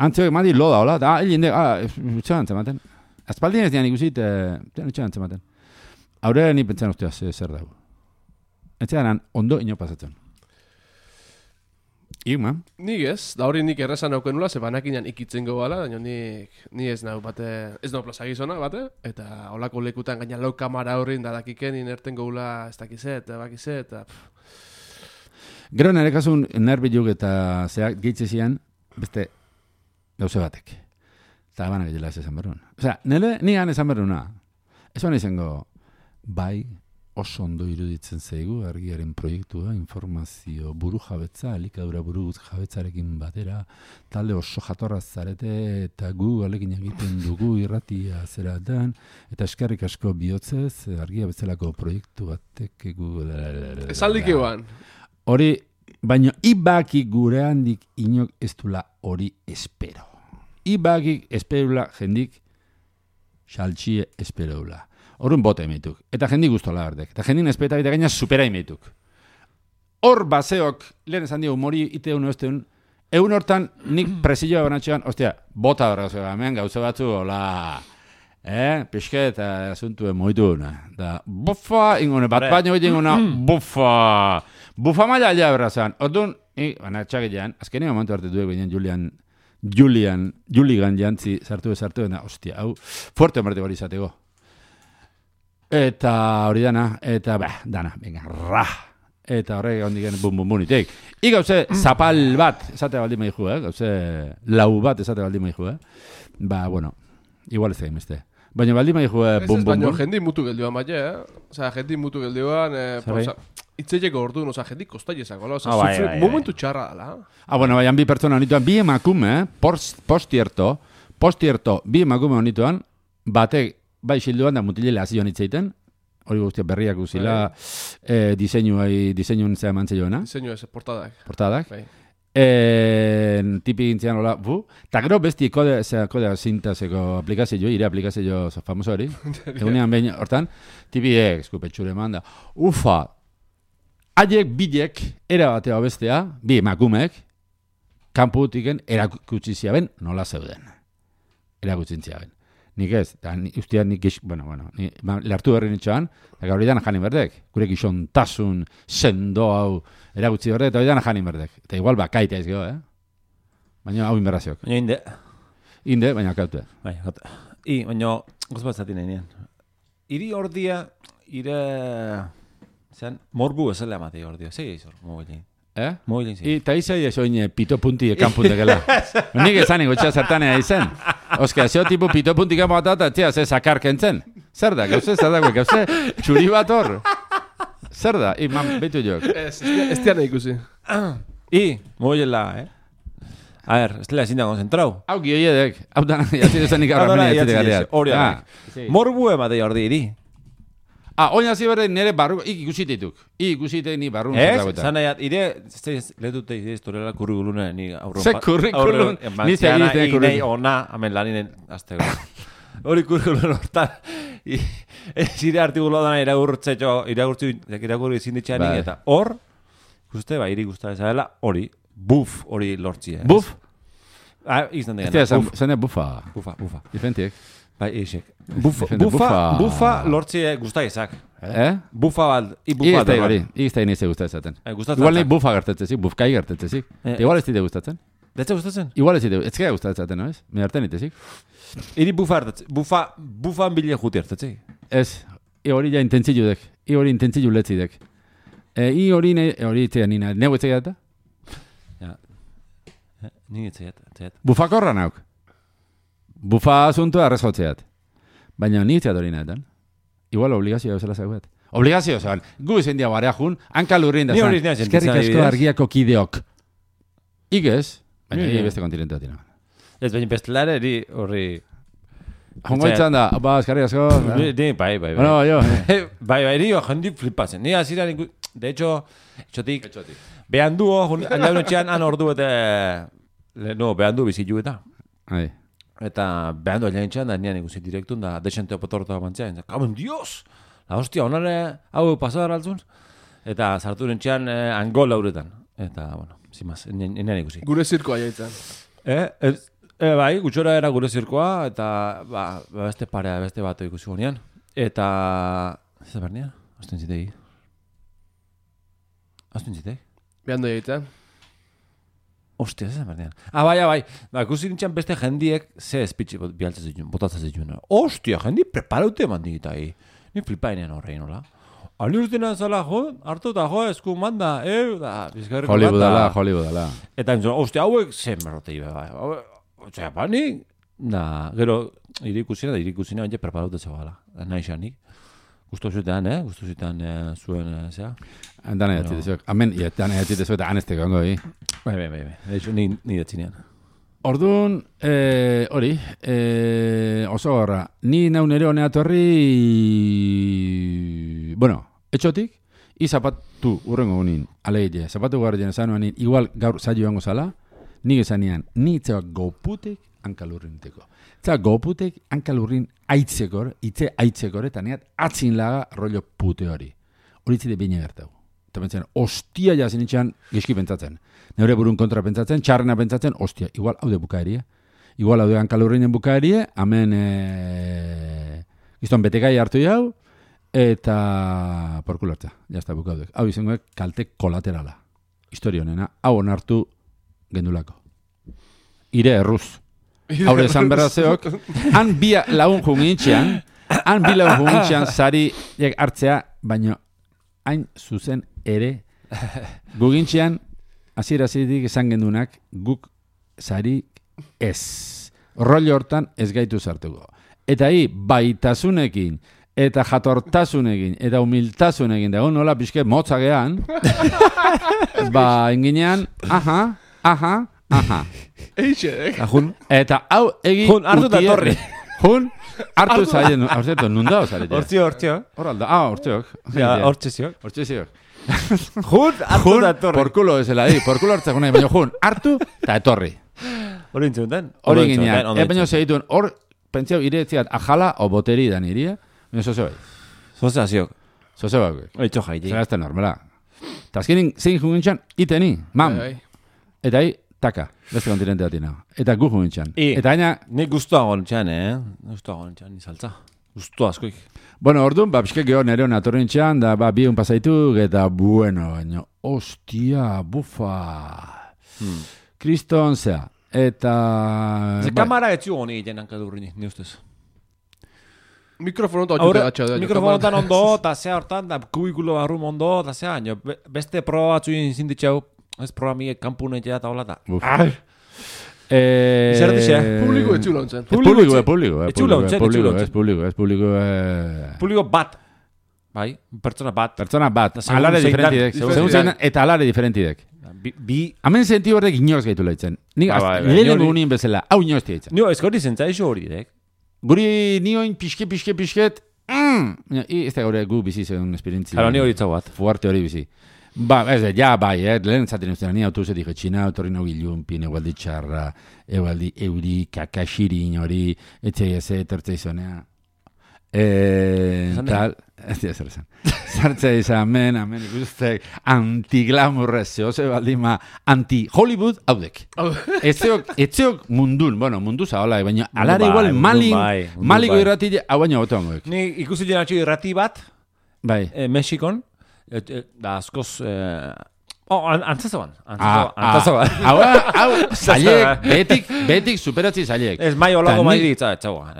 Antzeok, madi loda, hola, da, hilin de, ah, etxean antzematen. Azpaldien ez dian ikusit, etxean antzematen. Aurrera ni pentsan ustea zer dago. Etxean ondo ino pasatzen. Igma? Nik ez, da hori nik errezan nauken nula, ze banakinan ikitzen gobala, daño nik, ni ez nau bate, ez nau plaza gizona bate, eta holako lekutan gaina lau kamara horrin da dakiken inerten gobula ez dakizet, eta bakizet, eta... Gero nire kasun nerbiluk eta zeak gehitze zian, beste gauze batek. Eta banak egila ez esan berrun. Osea, nire nian esan berruna. Ez baina izango, bai, oso ondo iruditzen zaigu argiaren proiektua, informazio buru jabetza, elikadura buru jabetzarekin batera, talde oso jatorra zarete, eta gu alekin egiten dugu irratia zeratan, eta eskerrik asko bihotzez, argia bezalako proiektu batek gu... Esaldik eban. Hori, baina ibaki gure handik inok ez dula hori espero. Ibaki esperula jendik xaltxie esperula. Horren bote emeituk. Eta jendik guztola berdek. Eta jendin espeta bita gaina supera emeituk. Hor baseok, lehen esan dio, humori ite unu este un, egun hortan nik presilloa banatxean, ostia, bota horra gauze, hemen gauze batzu, hola, eh, pixke eta asuntuen moitu, da, bufa, ingone, bat baino egin ingona, bufa, bufa maila alea berra zan. Orduan, banatxak egean, azkenean momentu hartu duek binen Julian, Julian, Juligan jantzi sartu sartu eta hostia, hau fuerte marte hori izateko. Eta hori dana, eta ba, dana, venga, ra. Eta horrek ondiken bum bum bunitek. I gauze zapal bat esate baldi maizu, eh? Gauze lau bat esate baldi maizu, eh? Ba, bueno, igual ez da imeste. Baina baldi maizu eh, bum bum. Baina jendi mutu geldioan bai, eh? Osea, jendi mutu geldioan, eh, posa itzeileko orduan, osea, jendik kostaiezako, osea, oh, bai, bai, momentu txarra dela. Ah, bueno, baian bi pertsona honituan, bi emakume, eh? Postierto, postierto, bi emakume honituan, batek, bai xilduan da mutilele hasi joan itzeiten, hori guztia berriak guzila, eh, diseinuai, diseinun zea mantze joana. Diseinu ez, portadak. Portadak. Bai. Eh, tipi gintzean hola, bu, eta gero besti kode, zera, kode zintazeko aplikazio, ire aplikazio famoso hori, egunean behin, hortan, tipi ek, eskupetxure manda, ufa, haiek bidek, era batea bestea, bi emakumeek, kanputiken erakutsi ziaben nola zeuden. Erakutsi ziaben. Nik ez, eta ustean nik, bueno, bueno, ni, lehartu berri nitxoan, eta gaur idan janin berdek, gure gizontasun, sendo hau, erakutsi berdek, eta idan janin berdek. Eta igual bakaita ez geho, eh? Baina hau inberraziok. Baina inde. Inde, baina kaute. Bai, gota. I, baina, goz bat zatin egin. Iri ordia, ire... Zeran, morbu esale amate ordia. Segi izor, mogilin. Eh? Mobilin zi. Eta izai ez oin pito punti ekan puntekela. Nik esan ingo txea zertanea izen. Oska, zeo tipu pito punti ekan bat eta txea ze sakar kentzen. Zer da, gauze, zer da, gauze, txuri bat hor. Zer da, iman, betu jok. Ez, ez tiana ikusi. I, mobilela, eh? A ver, ez dela ezin da konzentrau. Hau gioiedek, hau da, jatzi duzenik aurra meni jatzi gareat. Hori da. Morbu ematei hor di, Ah, oina zi berde nire barru, ik ikusitetuk. Ik ikusite ni barru. Ez, zan nahiat, ire, lehutute ide historiala kurrikuluna ni aurron. Ze kurrikulun? Ni ze egiten kurrikulun. Inei ona, amen laninen, azte hori kurrikulun hortan. Zire artikulo dana iragurtzetxo, iragurtzi izin ditxeanik, eta hor, ikuste, ba, iri guztara ezadela, hori, buf, hori lortzi. Buf? Ah, izan degena. Zene bufa. Bufa, bufa. Diferentiek. Bai, eixek. Bufa, bufa, bufa lortzi guztai ezak. Eh? Bufa bat, i bufa bat. Igiztai hori, igiztai nize gustatzen. Gustatzen. Igual nahi bufa gertetzezik, bufkai gertetzezik. Igual ez dite gustatzen. Detze gustatzen? Igual ez dite, ez gara gustatzen, no ez? Me harten itezik. Iri bufa hartetze, bufa, bufa bile juti hartetze. Ez, i hori ja intentzilu dek, i hori intentzilu letzi dek. I hori, hori itzea nina, neu itzea eta? Ja, ni itzea eta. Bufakorra nauk. Bufa asuntua arrezotzeat. Baina ni itzea dori nahetan. Igual obligazioa eusela zaguet. Obligazio zan. Gu izan dia barea jun, hanka lurrin da zan. Ni hori izan eskerrik asko argiako kideok. Igez, baina ni beste kontinentea tina. Ez baina bestelare eri horri... Hongo itzan da, ba, eskerrik asko. Ni, bai, bai, bai. Bueno, jo. Bai, bai, ni jendi flipatzen. Ni azira, de hecho, etxotik, behan duo, aldaun etxean, han ordu eta... No, behan du bizitu eta. Ai. Eta behandu ailean txan, da nian ikusi direktun, da desente opotortu amantzea. Kamen, dios! La hostia, honare, hau pasadar altzun. Eta sartu nintxean eh, angol lauretan. Eta, bueno, zimaz, nian ikusi. Gure zirkoa jaitzen. Eh, eh, eh, bai, gutxora era gure zirkoa, eta ba, beste parea, beste bato ikusi gunean. Eta, ez da bernian? Aztuen zitegi. Aztuen zitegi. Behandu jaitzen. Ostia, ez da bernian. Ah, bai, bai. Ba, ikusi nintzen beste jendiek ze espitxe bialtzen zituen, botatzen zituen. Ostia, jendi preparaute eman digitai. Ni flipainean horrein, hola. Alni urtenan zala, jo, hartu eta jo, esku manda, eh, da, bizkarriko manda. Hollywoodala, Hollywoodala. Eta nintzen, ostia, hauek zen berrotei, bai. Ostia, ba, ni, da, gero, irikusina, da, irikusina, baina preparaute zegoela. Nahi xanik. Gusto zuetan, eh? Gusto zuetan eh, zuen, eh, zera? Dana jatzi dezuek. Amen, dana jatzi dezuek eta anesteko ongo, hi. Bai, bai, bai, bai. Eixo, ni, ni datzinean. Orduan, eh, hori, eh, oso gorra, ni nau nere honea torri, bueno, etxotik, i zapatu urrengo gunin, aleile, zapatu guardian esan nuanin, igual gaur zailo hango zala, nik esanean, ni itzeak goputek hankalurrinteko. Eta goputek hankalurrin aitzekor, itze aitzekor, eta neat atzin laga rollo pute hori. Hori itzide bine gertau. Eta pentsen, ostia jazin itxean geski pentsatzen. Neure burun kontra pentsatzen, txarrena pentsatzen, ostia, igual haude bukaerie. Igual haude hankalurrinen bukaerie, hemen e... gizton betekai hartu jau, eta porkulartza, jazta bukaudek. Hau izangoek kalte kolaterala. Historia honena, hau onartu gendulako. Ire erruz. Haure esan berrazeok, han bi lagun jungintxean, han bi lagun jungintxean zari hartzea, baino hain zuzen ere, gugintxean, azirazidik esan gendunak, guk zari ez. Rollo hortan ez gaitu zartuko. Eta hi, baitasunekin, eta jatortasunekin, eta humiltasunekin, da nola pixke motzagean, ba, enginean, aha, aha, aha. Eixe, eh? Ajun. Eta hau egin... Jun, hartu eta torri. Jun, hartu zaien, hartu, nunda osaretia. Hortzio, hortzio. Horralda, ah, hortziok. Ja, hortziok. Hortziok. Jun, hartu eta torri. Porkulo esela di, porkulo hartzak unai, baina jun, hartu eta etorri. Hori intzunten. Hori ginean, e baina segituen, hor, pentsau, iretziat, ajala o boteri da niria, baina zoze bai. Zoze aziok. Zoze bai. Oitxo jaiti. Zagazte normala. Ta azkenin, zein jungintxan, iteni, mam. Eta hi, taka, beste kontinente batina. Eta gu jungintxan. Eta aina... Nik guztua gontxan, eh? Guztua gontxan, izaltza. Guztua askoik. Bueno, orduan, ba, pixke geho nere hona atorrintxan, da, ba, biun pasaitu, eta, bueno, baina, ostia, bufa. Hmm. Kriston, zea. Eta... Ze kamara etzu honi egiten hankadurrini, ni ustez. Mikrofono eta otxute gatxa. Mikrofono eta ondo, eta zea hortan, da kubikulo barrum ondo, eta zea, beste proba batzu izin ditxau, ez programiek kanpunetea eta hola da. Eh, Zer dixe? Publiko etxulo ontzen. Publiko, eh, publiko, eh, Etxulo ontzen, publiko, etxulo ez publiko, ez publiko, eh... Publiko bat. Bai, pertsona bat. Pertsona bat, Segun alare zein dan, diferentidek, segun segun zein zein, eta alare diferentidek. Bi, bi... Hemen senti horrek inoz gaitu lehitzen. Nik Ah, bai, bai, lehenengo ni hori- unien bezala, hau inoz diaitzen. Nio, ez gori zentzaizu hori, dek. Guri nioin pixke, pixke, pixket, mm, baina, i, ez da gaur gu bizi zeun esperientzi. Claro, ni hori itzau bat. Fuerte hori bizi. Ba, ez, ja, bai, eh, lehen zaten ustean, ni autobusetik etxina, otorri no gilunpin, egualdi txarra, egualdi euri, kakaxirin hori, etxai ez, etortzei zonea. Eh, tal, ez dira zer esan. Zartzea izan, amen, amen, ikustek, anti-glamurrez, zehose baldima, anti-Hollywood, haudek. Etzeok, etzeok mundun, bueno, mundu zahola, baina alare bai, igual mundu malin, bai, mundu maliko bai. irratile, hau baina boto hangoek. Ni ikusi jenatxo irrati bat, Bai. eh, Mexikon, et, et, da askoz... Eh, oh, an, antzazoan. Ah, Antzazoan. ah, hau, hau, zailek, betik, betik superatzi zailek. Ez mai olako Ta mai ni- ditza, etxaua.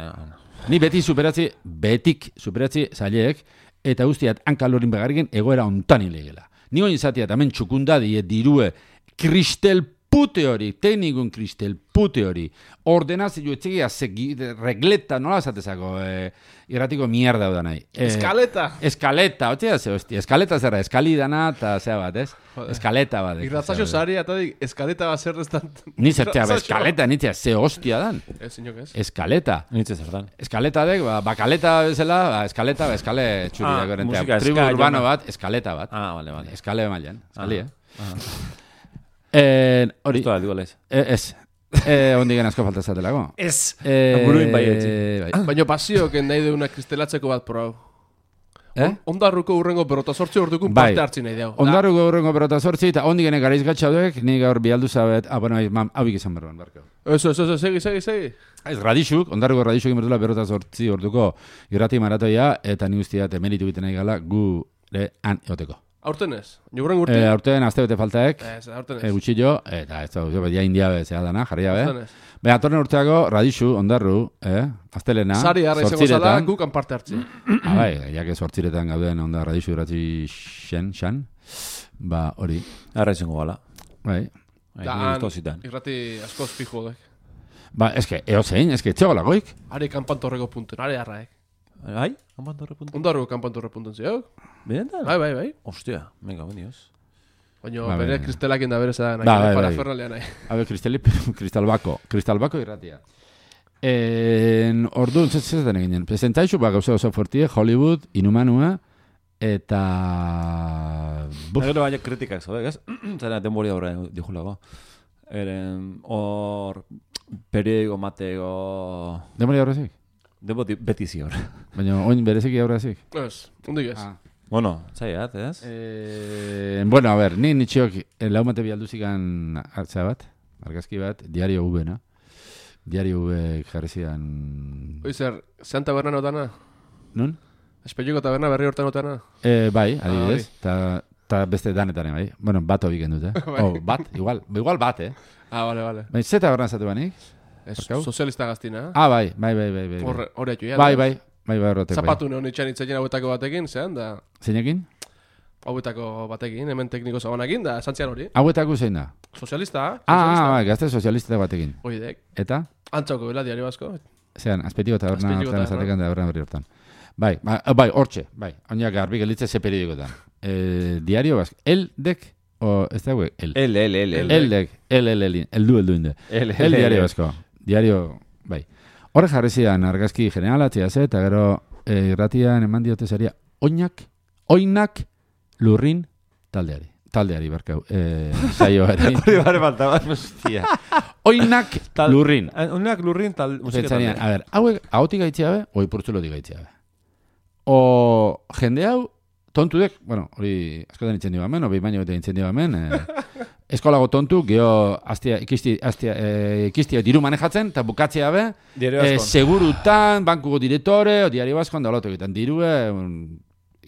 Ni beti superatzi, betik superatzi zailek, eta guztiat hankalorin begarriken egoera ontan ilegela. Ni oin zatiat, hemen txukunda die dirue, kristel pute hori, teknikun kristel pute hori, ordenazio etxegia segi, regleta, nola zatezako, eh, irratiko mierda da nahi. Eh, Eskaleta. Eskaleta, hotxea ze, hostia, eskaleta zerra, eskalidana, eta zea bat, ez? Joder. Eskaleta bat. Irratzaio zari, eta dik, eskaleta bat zer destan... Ni zertzea, ba, eskaleta, nitzea, ze hostia dan. Ez, inok ez. Eskaleta. Nitze zertan. Eskaleta dek, ba, bakaleta bezala, ba, eskaleta, ba, eskale txuri Ah, da gorentea. musika Tribu ska, urbano jona. bat, eskaleta bat. Ah, vale, vale. Eskale mailan, eskali, Ah, eh? Eh, hori, Esto da, dualez. eh, ez. Eh, ondigen asko falta zatelako. Ez. Eh, Buruin bai etzi. bai. Baina pasioak nahi deuna kristelatzeko bat pro hau. Eh? Ondarruko urrengo berrota sortzi ordukun Bai. parte hartzen nahi dau. Ondarru gaurrengo berota sortzi, eta ondigen garaiz gatxauek, ni gaur bialdu zabet, ah, bueno, mam, hau ikizan berban, barko. Eso, eso, eso, segi, segi, segi. Ez, radixuk, ondarruko radixuk inbertula berota sortzi orduko irrati maratoia, eta ni guztiat emeritu biten nahi gala gure han eoteko. Aurten ez? Jogurren urte? Eh, aurten azte bete faltaek, Ez, aurten ez. e, gutxillo, eta ez da, ja india bezea dana, jarria be. Aurten ez. Baina, atorren urteako, radixu, ondarru, eh? Aztelena, Sari harra izango zala, gukan parte hartzen. Ah, bai, jake sortziretan gauden onda radixu irratzi xen, xan. Ba, hori, Arra izango gala. bai. Bai, Da, ni han, gusto zitan. irrati askoz fijo dek. Ba, eske, eo zein, eske, txegolagoik. Are kanpantorreko puntuen, are harraek. Bai? Ampantorre puntu. Ondarruko kanpantorre puntuen ziok. Benetan? Bai, bai, bai. Ostia, venga, benioz. Baina Ba, bere bai. kristelakin da bere zera nahi, Ba, bai, bere bai. parafernalea nahi. Habe, kristali, kristalbako, kristalbako irratia. En, orduan, ez ez den eginen. Presentaizu, ba, gauza oso fortie, Hollywood, Inumanua, eta... Buf, Gero baina kritikak zaudek, ez? Zara, denbori aurre dijulago. Eren, hor, periodiko mateko... demori aurrezik. Debo beti zior. Baina, oin bereziki aurrezik. Ez, hundik ez. Ah. Bueno, zaiat, ez? Eh, bueno, a ver, ni nitxiok eh, laumate bialduzikan hartzea bat, argazki bat, Diario V-na. Diario V jarri zidan... Hoi zer, zean taberna notana? Nun? Espelluko taberna berri hortan notana? Eh, bai, adibidez, eta ta beste danetan, bai. Bueno, bat hobik endut, eh? Oh, bat, igual, igual bat, eh? Ah, bale, bale. Bai, zeta horren zatu banik? Ez, Barkau? sozialista gaztina. Ah, bai, bai, bai, bai, bai. Horre, horre atxu, ja. Bai, bai, bai, bai, horretek, bai. Zapatu neon itxan itzaien hauetako batekin, zean, da... Zeinekin? Hauetako batekin, hemen tekniko zagonakin, da, santzian hori. Hauetako zein da? Sozialista, Ah, ah, sozialista. bai, gazte sozialista batekin. Oidek. Eta? Antzauko bela, diario basko. Zean, azpetiko taberna Azpeitiko hortan taberna. esatekan da horren berri hortan. Bai, ba, bai, hortxe, bai. Oinak garbi gelitze ze periodikotan. Eh, diario bask. Eldek, o, ez da hauek, el. El, el, el, el. Eldek, el, el, el, el du, el du inde. El, El diario basko. Diario, bai. Horre jarri zidan argazki generalatzea ze, eta gero eh, irratian eman diote zaria, oinak, oinak, lurrin, taldeari. Taldeari, barkau. Eh, saioari. Hori bare falta bat. Hostia. Oinak, Tal- lurrin. Unak lurrin tal musika Pentsanian, talde. a ver, hauek ahotik gaitxea be, oi purtzulotik gaitxea be. O jende hau, tontudek, bueno, hori askotan itzen dio hemen, o behin baino eta itzen dio hemen, eh, eskolago tontu, geho astia, ikisti, astia, eh, ikistia diru manejatzen, eta bukatzea be, Diario eh, askon. segurutan, bankuko direktore, o diario baskoan da olotu egiten, diru, eh,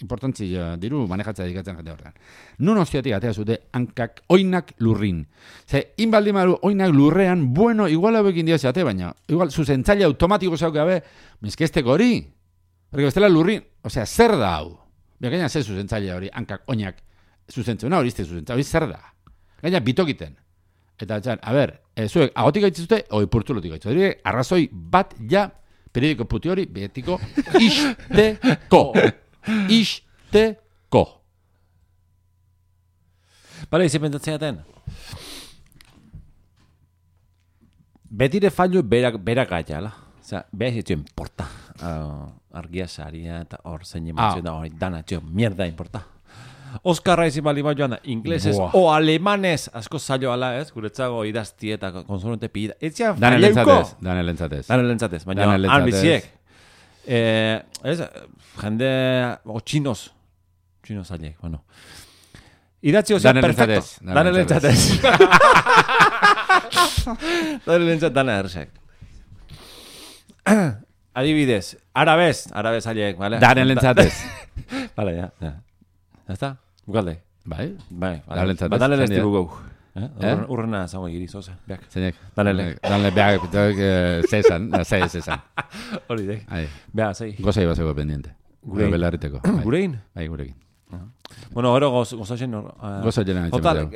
importantzia, diru manejatzea dikatzen jende horrean. Nun hostiatik atea zute hankak oinak lurrin. Ze, inbaldimaru oinak lurrean, bueno, igual hauekin dio zeate, baina, igual, zuzentzaile automatiko zauke gabe, mezkesteko hori. Porque bestela lurrin, osea, zer da hau? Bekaina ze zuzentzaile hori, hankak oinak zuzentzen, hori izte zuzentzaile, hori zer da? Gaina bitokiten. Eta txan, a ber, e, zuek agotik gaitzizute, oi purtzulotik gaitzizute. Arrazoi bat ja, periodiko puti hori, betiko, isteko. Isteko. Bale, izi pentsatzeaten. Betire fallo berak, berak gaitala. Osea, behaz etxo importa. Uh, argia saria eta hor zein ematzen da hori dana etxo mierda importa. Oskarra izin bali bat joan da, inglesez o alemanez asko zailo ala ez, guretzago idazti eta konsonante pida. Etxean falleuko. Dane lentzatez. Dane lentzatez, baina albiziek. Eh, ez, jende, o txinos. Txinos zailek, bueno. Idatzi ozea perfecto. Dane lentzatez. Dane lentzat, dane ersek. Adibidez, arabez, arabez aliek, ¿vale? Dane lentzatez. Vale, ya, ya. ¿Ya está? Bukalde. Bai? Bai, Dane lentzatez. Ba, dane lezti bugau. Urrena zango egiri, zoze, beak. Zeinek? Dane le. Dane beak, zezan, zei zezan. Hori dek. Beak, zei. Gozai basego pendiente. Gure belarriteko. Gurein? Bai, gurekin. Bueno, oro gozatzen. Gozatzen nahi Total,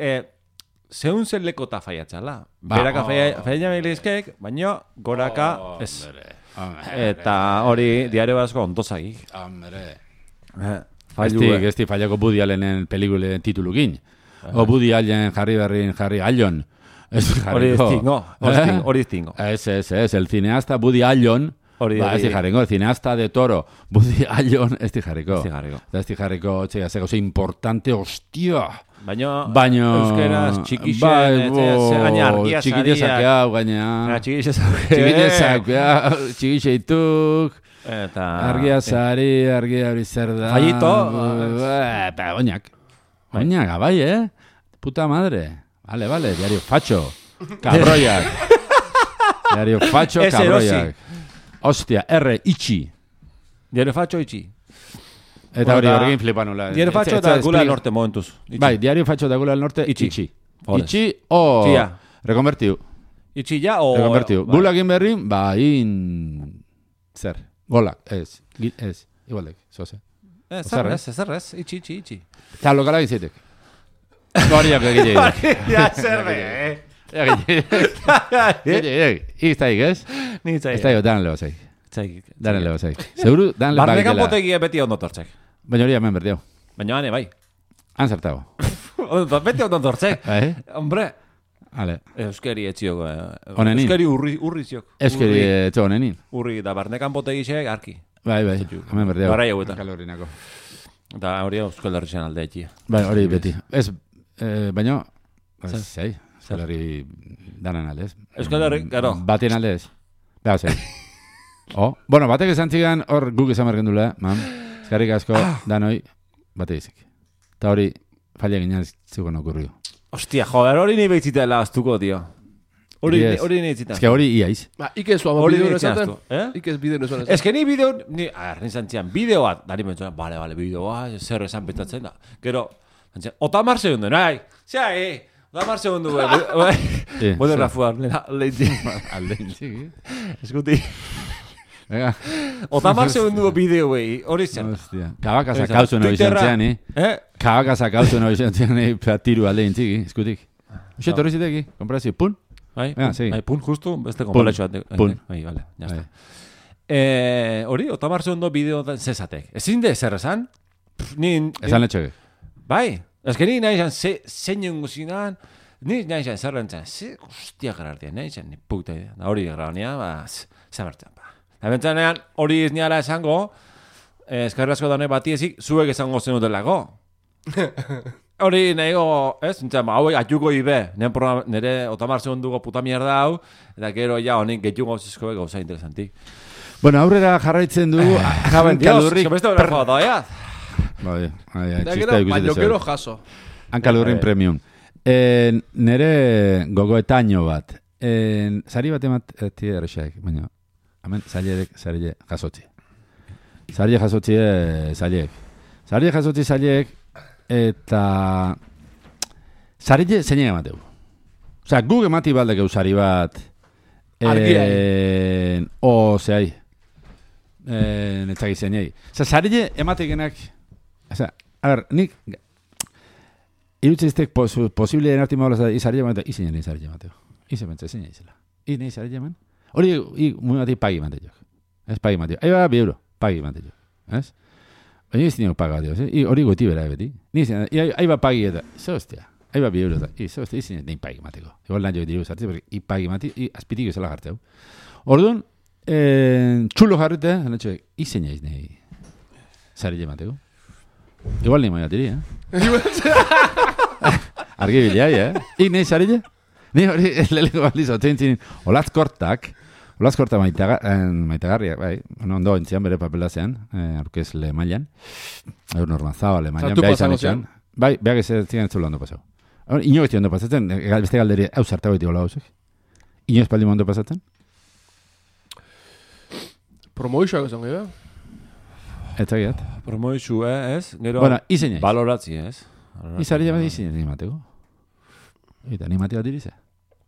zehun zen lekota faiatxala. Beraka faiatxa behilizkek, baina goraka ez. Eta hori diario basko ondozagik. Hombre. Esti, esti fallako Woody Allenen pelikulen titulukin. O Woody Allen, Harry Berrin, Harry Allon. Hori distingo. Hori distingo. Ez, ez, ez. El cineasta Woody Allen. Ba, ez di jarriko, el cineasta de Toro, Woody Allen, ez di jarriko. Ez di jarriko, txega, zego, ze importante, hostia. Baina, Baina, euskeraz, txikixen, gaina argia zaria. Txikitezak hau, gaina. Txikitezak hau, txikixeituk. Eta... Argia zari, argia hori zer da. Fallito. Eta, oinak. Oinak, abai, eh? Puta madre. Vale, vale, diario facho. Cabroiak. Diario facho, cabroiak. Hostia, R, itxi. Diario facho, itxi. Eta hori horrekin flipanula. Diario facho da Gula del Norte, momentuz. Bai, diario facho da Gula del Norte, itxi. Itxi o... Rekonvertiu. Itxi ja o... Rekonvertiu. Gula egin berrin, ba, in... Zer? Golak, ez. Ez. Igualdek, zoze. Ez, zerrez, zerrez. Itxi, itxi, itxi. Eta lokala gizitek. Goriak egite. Ja, zerre, eh. Iztaik, ez? Nintzaik. Iztaik, dan leo zaik. Zaik. Dan leo zaik. Seguru, dan leo bakitela. Barnekan potegia beti ondo tortzek. Baina hori hemen berdiau. Baina hane, bai. Han zertago. Beti ondo tortzek. Hombre. Ale. Euskeri etxioko. Onenin. Euskeri urri, urri ziok. Euskeri etxo onenin. Urri, da barnekan potegisek arki. Bai, bai. Hemen berdiau. Barra jau eta. Kalorinako. Da hori Euskal Herrian alde etxia. Bai, hori beti. Ez, baina... Zai. Euskal Herri danan aldez. Euskal Herri, gero. Batien aldez. Beha, zei. Oh, bueno, batek esan txigan, hor guk esan bergen dula, mam. Eskarrik asko, danoi, bate izik. Eta hori, falla ginen zikon okurriu. Hostia, joder, hori ni behitzitela aztuko, tio. Hori ni behitzitela. Ez que hori iaiz. Ba, ikez zua bideo nesaten. Ikez bideo nesaten. Ez que ni bideo, ni, a ver, nintzen txian, bideo bat, dari mentzuan, bale, bale, bideoa, zer esan betatzen da. Gero, otamar segundu, nahi, zea, eh, otamar segundu, bai, bode rafuar, lehentik. Aldeintzik, eskuti. Venga. Otamar segundu bideo, eh, hori zen. Hostia. Kabakasa kautzen hori zentzean, eh? Kabakasa kautzen hori zentzean, eh, tiru aldeintzik, eskutik. Uxe, torri ziteki, komprazio, pun? Bai, bai, pun justu, beste konpaletxo bat. Pun. Bai, bale, jazta. Hori, otamar segundu bideo zezatek. Ezin de zer esan? Esan letxoke. Bai, ez que ni nahi zan, zein guzinan, ni nahi zan zer rentzen, ze guztia gerartia, nahi zan, ni puta idea. Hori gerraunia, ba, zamertzen, ba. Da bentsanean, hori ez niala esango, eskarrazko daune batiezik, zuek esango zenutelako. Hori nahigo, ez, nintzen, hauek atiuko ibe, nire otamar segunduko puta mierda hau, eta gero ja honik gehiago gauzizko gauza interesantik. Bueno, aurrera jarraitzen du, jaben kalurrik... Dios, que beste bera joda, ya. Bai, bai, txista ikusi dezu. Baina jaso. Hankalurrin premium. Nere gogoetaino bat. Zari bat emat, tira errexaik, baina, hemen, zailerek, zaile jasotzi. Zaile jasotzi, zailek. Zaile jasotzi, zailek, eta zarile zeine emateu. Osea, guk emati baldek eusari bat argiai. O, zehai. Netzak izan jai. Osea, zarile ematekenak... Osea, a ver, nik... Irutziztek posible den arti maulaz izari jaman, eta izinen izari jamateo. Izen bentsa, izinen izela. Izinen izari jaman. Hori, muy bati pagi mante jo. Ez pagi mante jo. Ahí va, bi euro. Pagi mante jo. Ez? Baina izinen paga, dio. Hori goti bera, beti. Ahí va pagi eta. Ze hostia. Ahí va bi euro. Ze hostia, izinen nein pagi mateko. Igual lan jo diru zartzi, porque i pagi mati, i azpitik ezala jarteu. Orduan, txulo jarrite, anatxo, izinen iz nahi. Zari jamateko. Igual ni moiatiri, eh? Argi bilai, eh? Ik nahi zari ja? Ni hori leleko balizo, zentzin, olaz kortak, olaz kortak maitagarriak, bai, ondo entzian bere papelazean, aurkezle mailan, aur normazabale mailan, beha izan etxan, bai, beha gezetzen ez zula ondo pasau. Ino ez ondo pasatzen, beste galderi, hau zartago eti gola hausek? Ino ez paldi ondo pasatzen? Promoixoak esan gehiago? Ez zagiat. Promoixu, eh, ez? Gero, bueno, izen ez. Baloratzi, ez? Izari jabat izin ez nimateko. Eta animati bat dirize.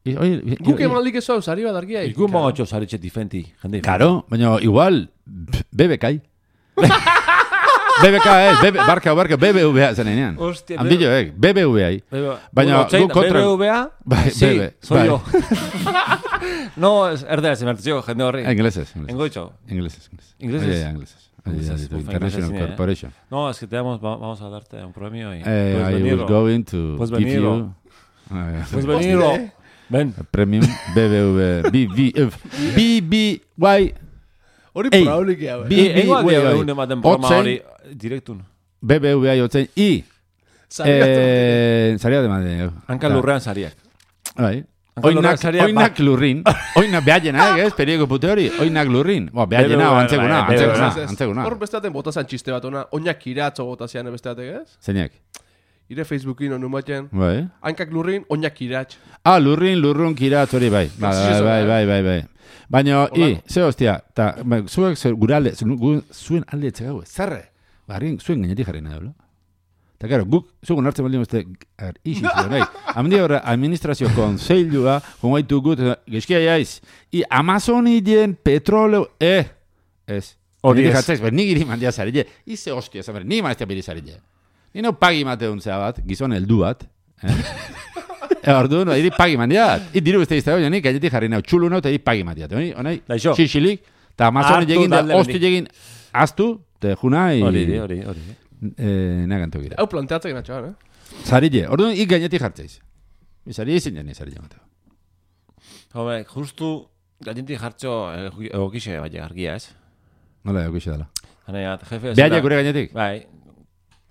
Guk emanaldik ez hau, sari bat argia. Iku mogotxo saritxe difenti. Karo, baina igual, B B K. B B K, eh, barka, barka, B B V A zen enean. Hostia, Handillo, eh, B B V A. Baina, guk kontra... B B V A? Bai, sí, soy yo. No, erdera, se mertezio, jende horri. Ingleses. Engoitxo. Ingleses. Ingleses. Ingleses. International Corporation. No, es que te vamos, vamos a darte un premio y eh, pues I was going to pues give venirlo. you uh, pues venirlo. Ven. Premium B B V B B B B Y. Hori probablik ya. B B Y. Un ematen programa hori direktun. B B V Y otzen I. Eh, saria de madre. Hanka lurrean sariak. Bai. Oinak, oinak lurrin. Oinak behaienak, ez? Perioko pute hori. Oinak lurrin. Bo, behaienak, antzeguna, antzeguna, antzeguna. Hor besteaten botazan txiste bat ona. Oinak iratzo botazian besteatek, ez? Zeinak? Ire Facebookin onu baten. Bai. Hankak lurrin, oinak iratz. Ah, lurrin, lurrun, kiratz hori, bai. Bai, bai, bai, bai, bai. Baina, i, ze hostia, ta, zuek gure alde, zuen alde etxegago, zarre. Barrin, zuen gainetik jarri nahi, blo? Eta, karo, guk, zugun hartzen baldin uste, isi zuen, nahi. Amendia horre, administrazio konseilua, kongaitu gut, gezkia jaiz, i Amazonien petroleo, eh, ez. Hori ez. Jatzaiz, ber, nik iri mandia zarille, ize hostia, zamer, nik maestia biri zarille. Ni no pagi mateun zea bat, gizon heldu bat, eh? E, ordu, no, iri pagi mandiat. I diru beste izte, nik gainetik jarri nahi, txulu nahi, eta iri pagi mandiat. Honai, xixilik, eta Amazonien jegin, hosti jegin, aztu, te juna, i... Hori, hori, hori. Eh, nagantu gira. Hau planteatzek natxoan, eh? Zarille, orduan ik gainetik jartzeiz. Izari izin jani, zarille mateo. Home, justu gainetik jartxo egokixe bai argia, ez? Nola egokixe dela. Haneiat, jefe... Behaia gure gainetik? Bai.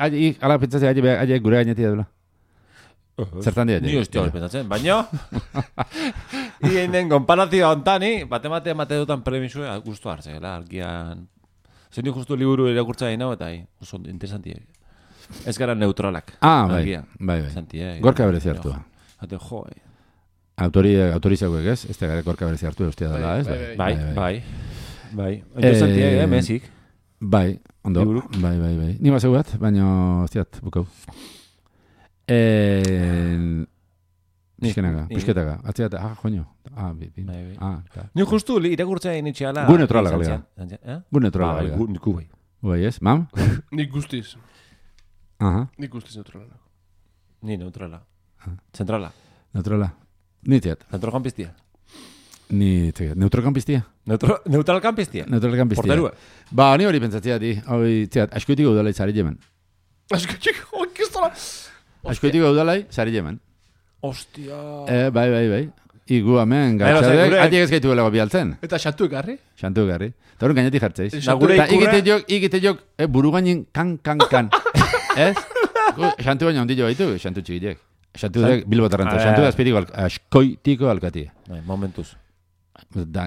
Ahi, ala pentsatzea, ahi gure gainetik dela. Zertan dira? Ni hostia hori pentsatzen, baina... Ien den konparazioa ontani, bate-mate emate dutan premisue guztu hartzea, argian... Zeni justu liburu irakurtza egin hau eta oso interesantiek. Ez gara neutralak. Ah, bai, bai, bai. Gorka berezi hartu. Hate, jo, eh. Autorizauek ez? Ez da gara gorka berezi hartu eustia dela, ez? Bai, bai. Bai, interesantiek, eh, mezik. Bai, ondo. Bai, bai, bai. Ni baseu bat, baina, hostiat, bukau. Eh... Nizkenaga, pisketaga. Atziat, ah, joño. Ah, bi, bi. Ah, ta. Ni justu irakurtza egin itxeala... Gu neutrala galega. Gu neutrala galega. Gu bai. Bai, ez? Mam? Nik guztiz. Aha. Nik guztiz neutrala. Ni neutrala. Zentrala. Neutrala. Ni tiat. Centrokampistia. Ni tiat. Neutrokampistia? Neutralkampistia. Neutralkampistia. Porterua. Ba, ni hori pentsatzea di. Hori, tiat, askoitik gaudalai zari jemen. Askoitik, hori kistola. Askoitik gaudalai zari jemen. Ostia. Eh, bai, bai, bai. Igu hemen gatxadek, atiek ez gaitu belago bialtzen. Eta xantu egarri? Xantu egarri. Eta horren gainetik jartzeiz. Eta ikite jok, ikite jok, eh, buru gainin kan, kan, kan. Ez? Xantu baina ondillo baitu, xantu txikitiek. Xantu dek bilbotarrantza. Xantu da espiriko askoitiko alkatia. Momentuz.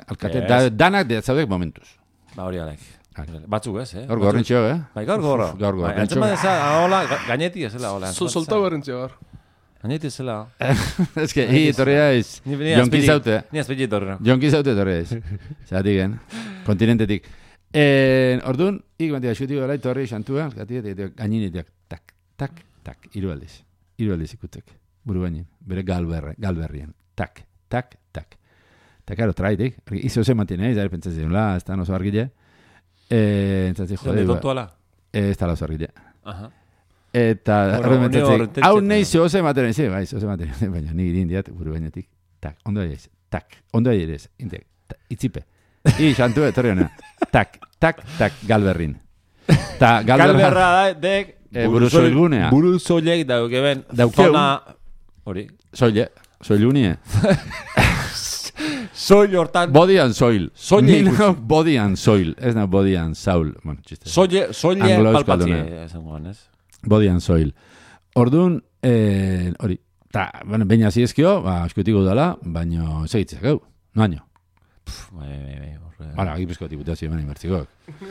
Alkatia, danak de zaudek momentuz. Ba hori alek. Batzuk ez, eh? Gaur gorrin txio, eh? Bai, gaur gorro. Gaur gorro. Antzema deza, hola, gainetik ez zela, hola. Soltau gorrin txio, gaur. Gainetik ez zela. Ez que, hi, torria ez. Jonki zaute. Ni azpilli torri. Jonki zaute torria ez. Zeratik, gen. Kontinentetik. Orduan, ik bantia xutik gara, torri xantua, gaininitek, tak, tak, tak, hiru aldiz. Hiru aldiz ikutek. Buru bainin. Bere galberrien. Tak, tak, tak. Eta, karo, traitik. Izo zen mantinei, zare pentsatzen, la, ez da oso argile. Entzatzi, jode. Zene tontuala? Ez da oso argile. Aha. Eta, Bueno, horren mentzatzen, horretetxe, hau eta- nahi zoze ematen, ezi, bai, zoze ematen, baina ni irin diat, buru bainetik, tak, ondo aiz, tak, ondo aiz, intek, ta- itzipe. I, xantu, etorri hona, tak, tak, tak, galberrin. Ta, galberra, Galberra da, dek... Eh, buruzoilgunea. Buruzoilek daukeben... Daukeu. Zona... Hori. soile, soilunie. Soil hortan... Body and soil. Soile Ni ikusi. nago body and soil, ez na body and soul. Bueno, txiste. Soile, soile Anglo palpatzi. euskalduna. Esangoan, ez? Body and soil. Orduan, eh, hori, ta, bueno, baina ziezkio, ba, eskutiko dela, baina segitzek, gau, noaino. Bai, bai, bai. horre- Hala, Gipuzko diputazio eman inbertzikok.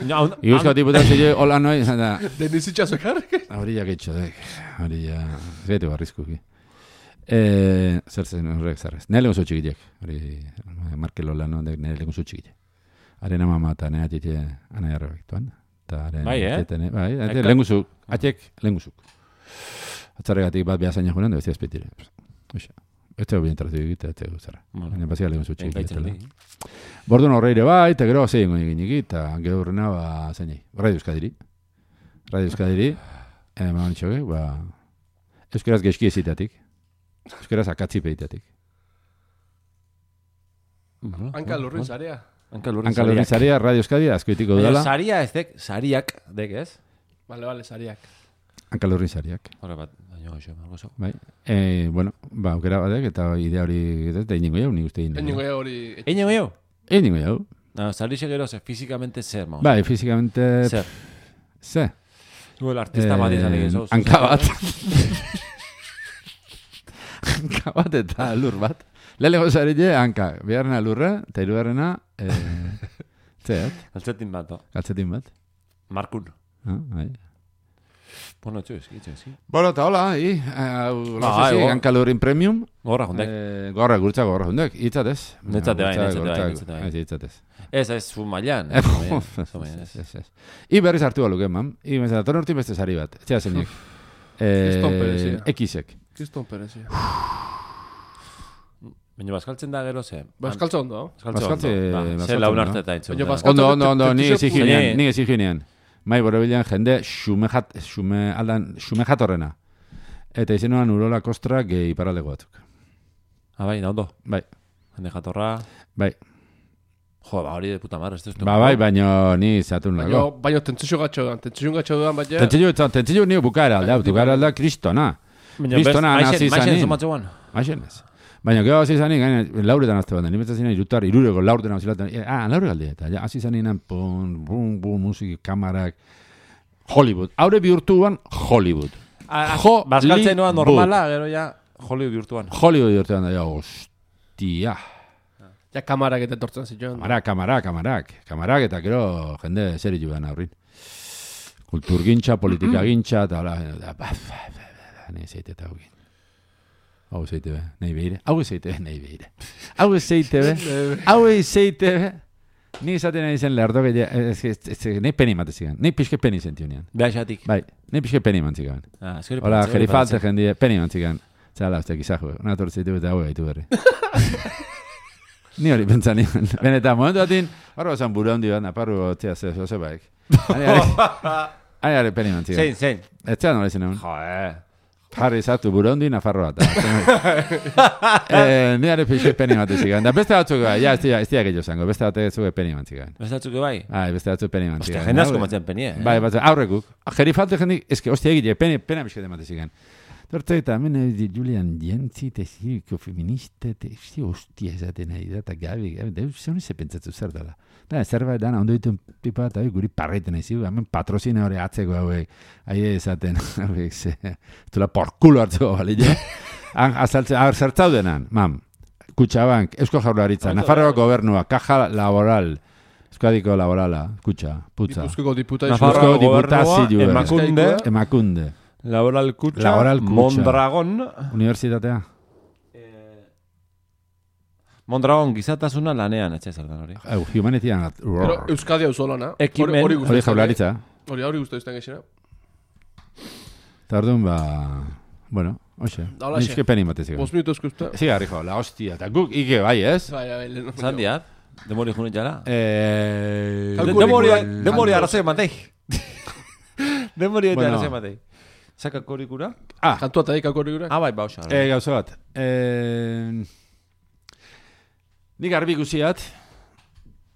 Ja, hon- Gipuzko diputazio hola noi, eta Denizitxazo ekarrik. hori ja getxo dek, hori ja, zaitu barrizkuki. Eh, zer zen horrek zarrez. Nire legun txikitek, hori, Markelo lan ondek nire legun txikitek. Haren ama eta nire atite anai arrebek tuan. Bai, eh? Bai, Eka- lehengu zuk, atek lehengu zuk. Atzarregatik bat behazaina joan, da bestia espetire. Oixa, ez tegu bien tratu egite, ez tegu zara. Bueno, Baina bazia lehengu zuk engaitzen txikitek. di. Bordun horreire bai, eta gero zein goi eginik, eta gero horrena, ba, zainei, Radio Euskadiri. Radio Euskadiri, eh, ma nitxoke, ba, euskaraz geski ezitatik, euskaraz akatzipeitatik. Hanka lurrin zarea. Hanka lurrin Hanka lurrin zaria, Radio Euskadi, askoitiko Baina dela, saria ez dek, sariak dek, ez? Bale, bale, zariak. hanka lurrin zariak. Horre bat, baina goxo, margo zo. Bai, eh, bueno, ba, aukera batek, eta idea hori, eta iningo jau, nik uste iningo Eningo jau. ja hori... Eino gehiago? Iningo jau. No, sarixe gero, ze, fizikamente zer, maus. Bai, fizikamente, Zer. ze, Zuel artista bat izan egin, zo. hanka bat. Hanka bat eta lur bat. Lelego zarete, hanka, biharrena lurra, eta hirugarrena, eh, zeat, Altzetin bat, no? galtzetin bat. Markun. Ah, bai. Bueno, txu, eski, txu, eski. Bueno, eta hola, i, hau, Ah, lasezi, ego. hanka lurin premium, Gorra, jondek. eh, gorra, gurtza, gorra, hundek, itzatez. Netzate bai, netzate bai, netzate bai. Ez, itzatez. Ez, ez, zu mailan. Eh, zu mailan, ez, zu mailan, ez. ez, ez. I berriz hartu baluke, mam. I, bezala, torren urtin beste sari bat. Etxea zeinek. Kriston Eh, perezia. Ekisek. Kriston perezia. Baina bazkaltzen da gero ze. Baskaltza ondo. Bazkaltze Bazkaltze- ondo. Ba, bazkaltze Ze laun ondo. arte eta entzun. Baina da. bazkal- Ondo, ondo, ondo, ni Tentizio eziginean, puzea. ni eziginean. Mai borobilean jende xume jat, xume, aldan, xume jatorrena. Eta izenuan urola kostra gehi iparaldeko batzuk. Ah, bai, da ondo. Bai, Jende jatorra. bai. Jo, ba, hori de puta mar, ez duztu. Ba, bai, baino ni zatun Baina, lago. baina tentzio gatxo duan. Tentzio gatxo duan, baina... Tentzillo, tentzillo ni bukaera aldea, bukaera aldea kristona. Kristona nazi zanin. zomatzeguan. Aixen ez. Baina, gero hasi zanin, gaina, lauretan azte bat, nimetzen zinen irutar, irureko lauretan hasi ah, laure galde, eta ja, hasi zanin, pum, bum, bum, musiki, kamarak, Hollywood. Haure bihurtuan, Hollywood. Jo, Bazkaltzen noa li- normala, gero ja, Hollywood bihurtuan. Hollywood bihurtuan da, ja, ostia. Ja, kamarak eta etortzen zituen. Kamarak, kamarak, kamarak. Kamarak, eta gero jende zeri joan aurrin. Kulturgintza, politikagintza, eta hola, da, ba, ba, ba, ba, nahi zeite eta hogin. Hau zeite be, nahi behire. Hau zeite be, nahi behire. Hau zeite be, hau zeite be. Ni izaten nahi zen lehardo gehiago, ez, ez, ez, ez, nahi peni mate zigan. Nahi pixke peni zentionean. Behaxatik. Bai, nahi pixke peni mantzigan. Ah, eskeri Hola, paratzen, gerifalte paratzen. jendie, peni mantzigan. Zala, uste, gizaju, una tortzitu eta hau gaitu berri. Ni hori pentsa nian. Benetan, momentu batin, horro zan buru handi bat, naparru gotzea ze, zoze baik. Ari, ari, peni mantzigan. Zein, zein. Ez zean nola izan egun. Jo, eh. Jarri zatu buru handi, nafarro bat. eh, ni ari pixi peni mantzigan. Da beste batzuk, ja, ez dira, ez dira gehiago zango, beste batzuk zuge peni mantzigan. Bestatzuk bai. Ai, beste batzuk peni Ostia, mantzigan. jende asko matzen penie, eh? Bai, bat, aurrekuk. Gerifalte jendik, eske, ostia egite, pena, pena bizkete matezigan. Torte eta hemen eh, Julian Jentzi, eta ziriko feminista, eta zi ostia esaten nahi da, eta gabi, gabi, da, zer honi ze pentsatu zer dela. Da, zerbait dana, ondo dituen pipa, eta guri parreiten nahi zigu, hemen patrozina hori atzeko hauek, ahi esaten, hauek, ze, tula porkulo hartzeko bali, ja? Azaltzen, hau, zertzaudenan, mam, Kutxabank, Eusko Jaurlaritza, Nafarroako gobernua, Caja Laboral, Euskadiko Laborala, Kutxa, Putza, Gipuzkoako diputazioa. Nafarroako Eusko diputazioa, gobernua, Emakunde, Emakunde, Laboral Kutxa, Laboral Kutxa. Mondragon, Unibertsitatea. Mondragon gizatasuna lanean, etxe zeldan hori. Au, humanityan, Pero Euskadi hau solana. Ekimen. Hori hori Jaurlaritza. Hori hori guztu izten gexena. Eta orduan, ba, bueno, hoxe, Da, holaxe. nizke peni matezik. Bos minutu eskusta. Zigarri jo, la hostia, eta guk ike bai, ez? Bai, bai, lehen. Zandiat, demori junin jara. Eh, Kalkuli- Demori, Kalkulikoen- demori arrazoi matei. Demori eta Bueno. arrazoi matei. Zakakorikura? Ah. Kantua eta ikakorikura? Ah, bai, bauxa. Eh, gauza bat. Eh, nik garbi ikusiat,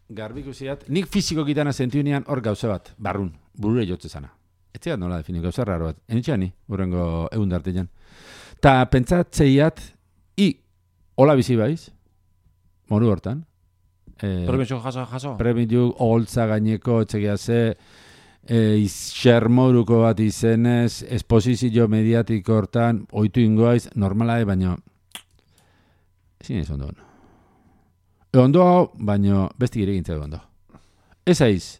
garbi ikusiat, nik fiziko gitana sentiunean hor gauza bat, barrun, burure jotze zana. Etxeat nola defini, gauza raro bat. Enitxean ni, urrengo egun dartean. Ta pentsatzeiat, i, hola bizi baiz, moru hortan. Eh, Premio jaso, jaso? Premio holtza gaineko, etxegia ze, eh, xermoruko bat izenez, esposizio mediatiko hortan, oitu ingoaiz, normala e, baina, ezin ez ondo ondo. E ondo hau, baina besti gire gintzea ondo. Ez aiz,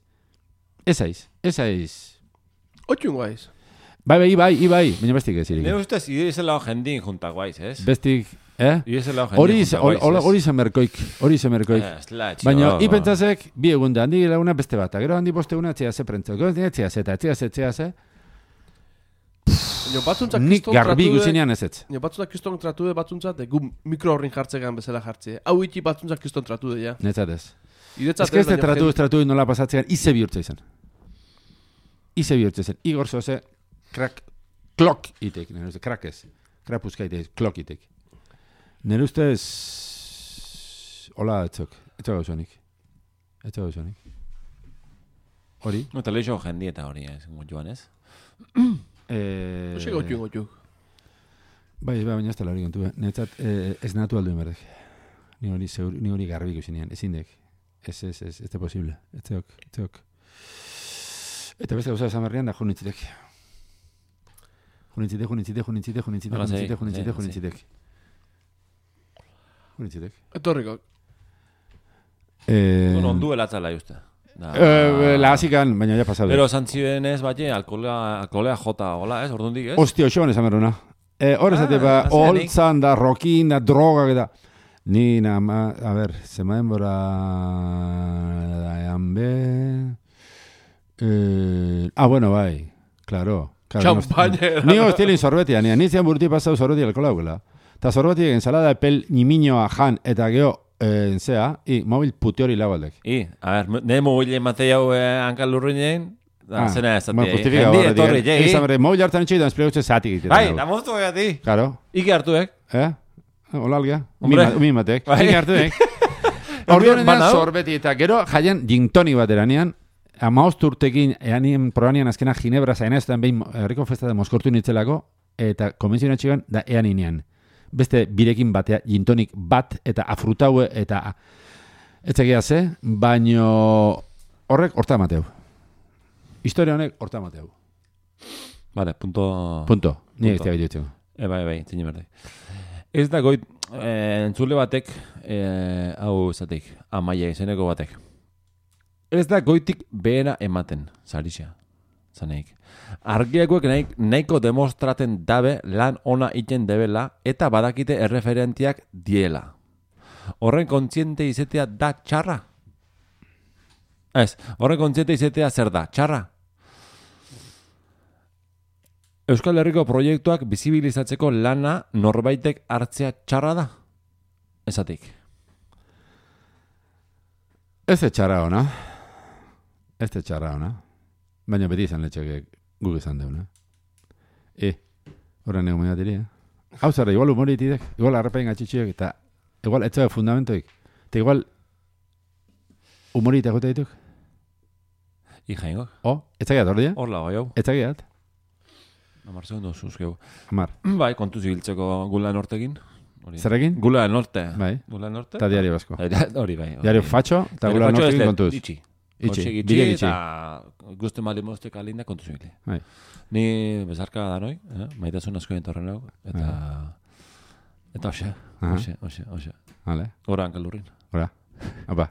ez aiz, ez aiz. Oitu ingoaiz. Bai, bai, bai, bai, baina bestik ez irik. Ne ustez, idizela jendin juntak guaiz, ez? Bestik, eh? Idizela jendin juntak guaiz, ez? Hori zemerkoik, hori zemerkoik. Baina, ipentzazek, bi egunda, handi laguna beste bat, gero handi boste una etxea ze prentzak, gero etxea ze, eta etxea ze, etxea ze. Nik garbi guzinean ez ez. Nio batzuntzak kiston tratu de batzuntzat, gu mikro horrin jartzegan bezala jartze. Hau iti batzuntzak kiston tratu de, ja. Netzat ez. Ez que ez de tratu ez tratu nola pasatzean, ize bihurtza izan. Ize bihurtza izan. Igor zoze, krak, klok itek, nire uste, krak ez. Krapuzka itek, klok itek. Nire ustez, hola etzok, etzok gauzonik. Etzok gauzonik. Hori? No, eta leixo jendi eta hori, ez, joan ez? Eh, Ose gotu gotu. Bai, bai, baina ez tala hori kontu. Netzat, eh, ez natu aldu enberdek. Ni hori zeur, ni hori garbik usinean, ezin dek. Ez, ez, ez, ez de posible. Ez teok, ez teok. Eta beste gauza esan berrian da junitzitek. Junitzitek, junitzitek, junitzitek, junitzitek, junitzitek, junitzitek, junitzitek. Junitzitek. Etorriko. Eh, Bueno, ondu elatzala justa. Eh, la hasikan, baina ja pasatu. Pero santziben ez, baina alkolea, alkolea jota, hola, ez, ordundik, ez? Hostia, xoan esan berruna. Eh, hor esate ba, holtzan da, rokin da, droga da. Ni nama, a ver, zema denbora ean be... Eh, ah, bueno, bai, claro. Champaña. Ni hostilin sorbetia, ni anizian burti pasau sorbetia alkola gula. Ta sorbetia ensalada epel niminoa jan eta geho en zea, i mobil puti hori lagaldek. I, a ver, ne mobil ematei hau eh, hankal lurruinen, da, zena ez zati. Bueno, justifika Jendi etorri, gaur. Izan berre, mobil hartan itxoi, da esplegutxe zatik egiten. Bai, da moztu gati. Claro. Ike hartuek. Eh? Hola algia. Hombre. Umi matek. Bai. Ike hartuek. Orduan sorbeti eta gero jaian gintoni bat eranean, amaost urtekin eanien proanian azkena Ginebra zainazten behin herriko festa de Moskortu nitzelako, eta konbentzioen txigan da eaninean. Beste birekin batea, gintonik bat, eta afrutaue, eta etzegia ze, baino horrek horta mateu. Historia honek horta mateu. Vale, punto... Punto. Ni ez da gaitu. E, bai, bai, zine berde. Ez da goit, eh, entzule batek, eh, hau zatik, amaia izeneko batek. Ez da goitik behera ematen, zarixea, zaneik. Argiakoek nahi, nahiko demostraten dabe lan ona iten debela eta badakite erreferentiak diela. Horren kontziente izetea da txarra? Ez, horren kontziente izetea zer da, txarra? Euskal Herriko proiektuak bizibilizatzeko lana norbaitek hartzea txarra da? Ezatik. Ez de txarra ona. Ez de txarra ona. Baina beti izan letxek guk izan deuna. E, horren ego mediatiri, eh? Hau zara, igual humoritidek, igual arrepain atxitxiek, eta igual etxabe fundamentoik, eta igual humorita jota dituk. Ijaingo. O, etzagiat hor dia? Hor lago, jau. Etzagiat? Amar segundo zuzkeu. Amar. Bai, kontu zibiltzeko gula nortekin. Zerrekin? Gula norte. Bai. Gula norte. Eta diario basko. Hori bai. Diario fatxo, eta gula nortekin kontuz. Itxi. Itxi, itxi, bile itxi. Eta guzti mali moztek alinda kontu zibili. Bai. Ni bezarka da noi, eh? Maitasun asko entorren hau. Eta... Eta hoxe, hoxe, hoxe, hoxe. Vale. Gora hankalurrin. Gora. Apa.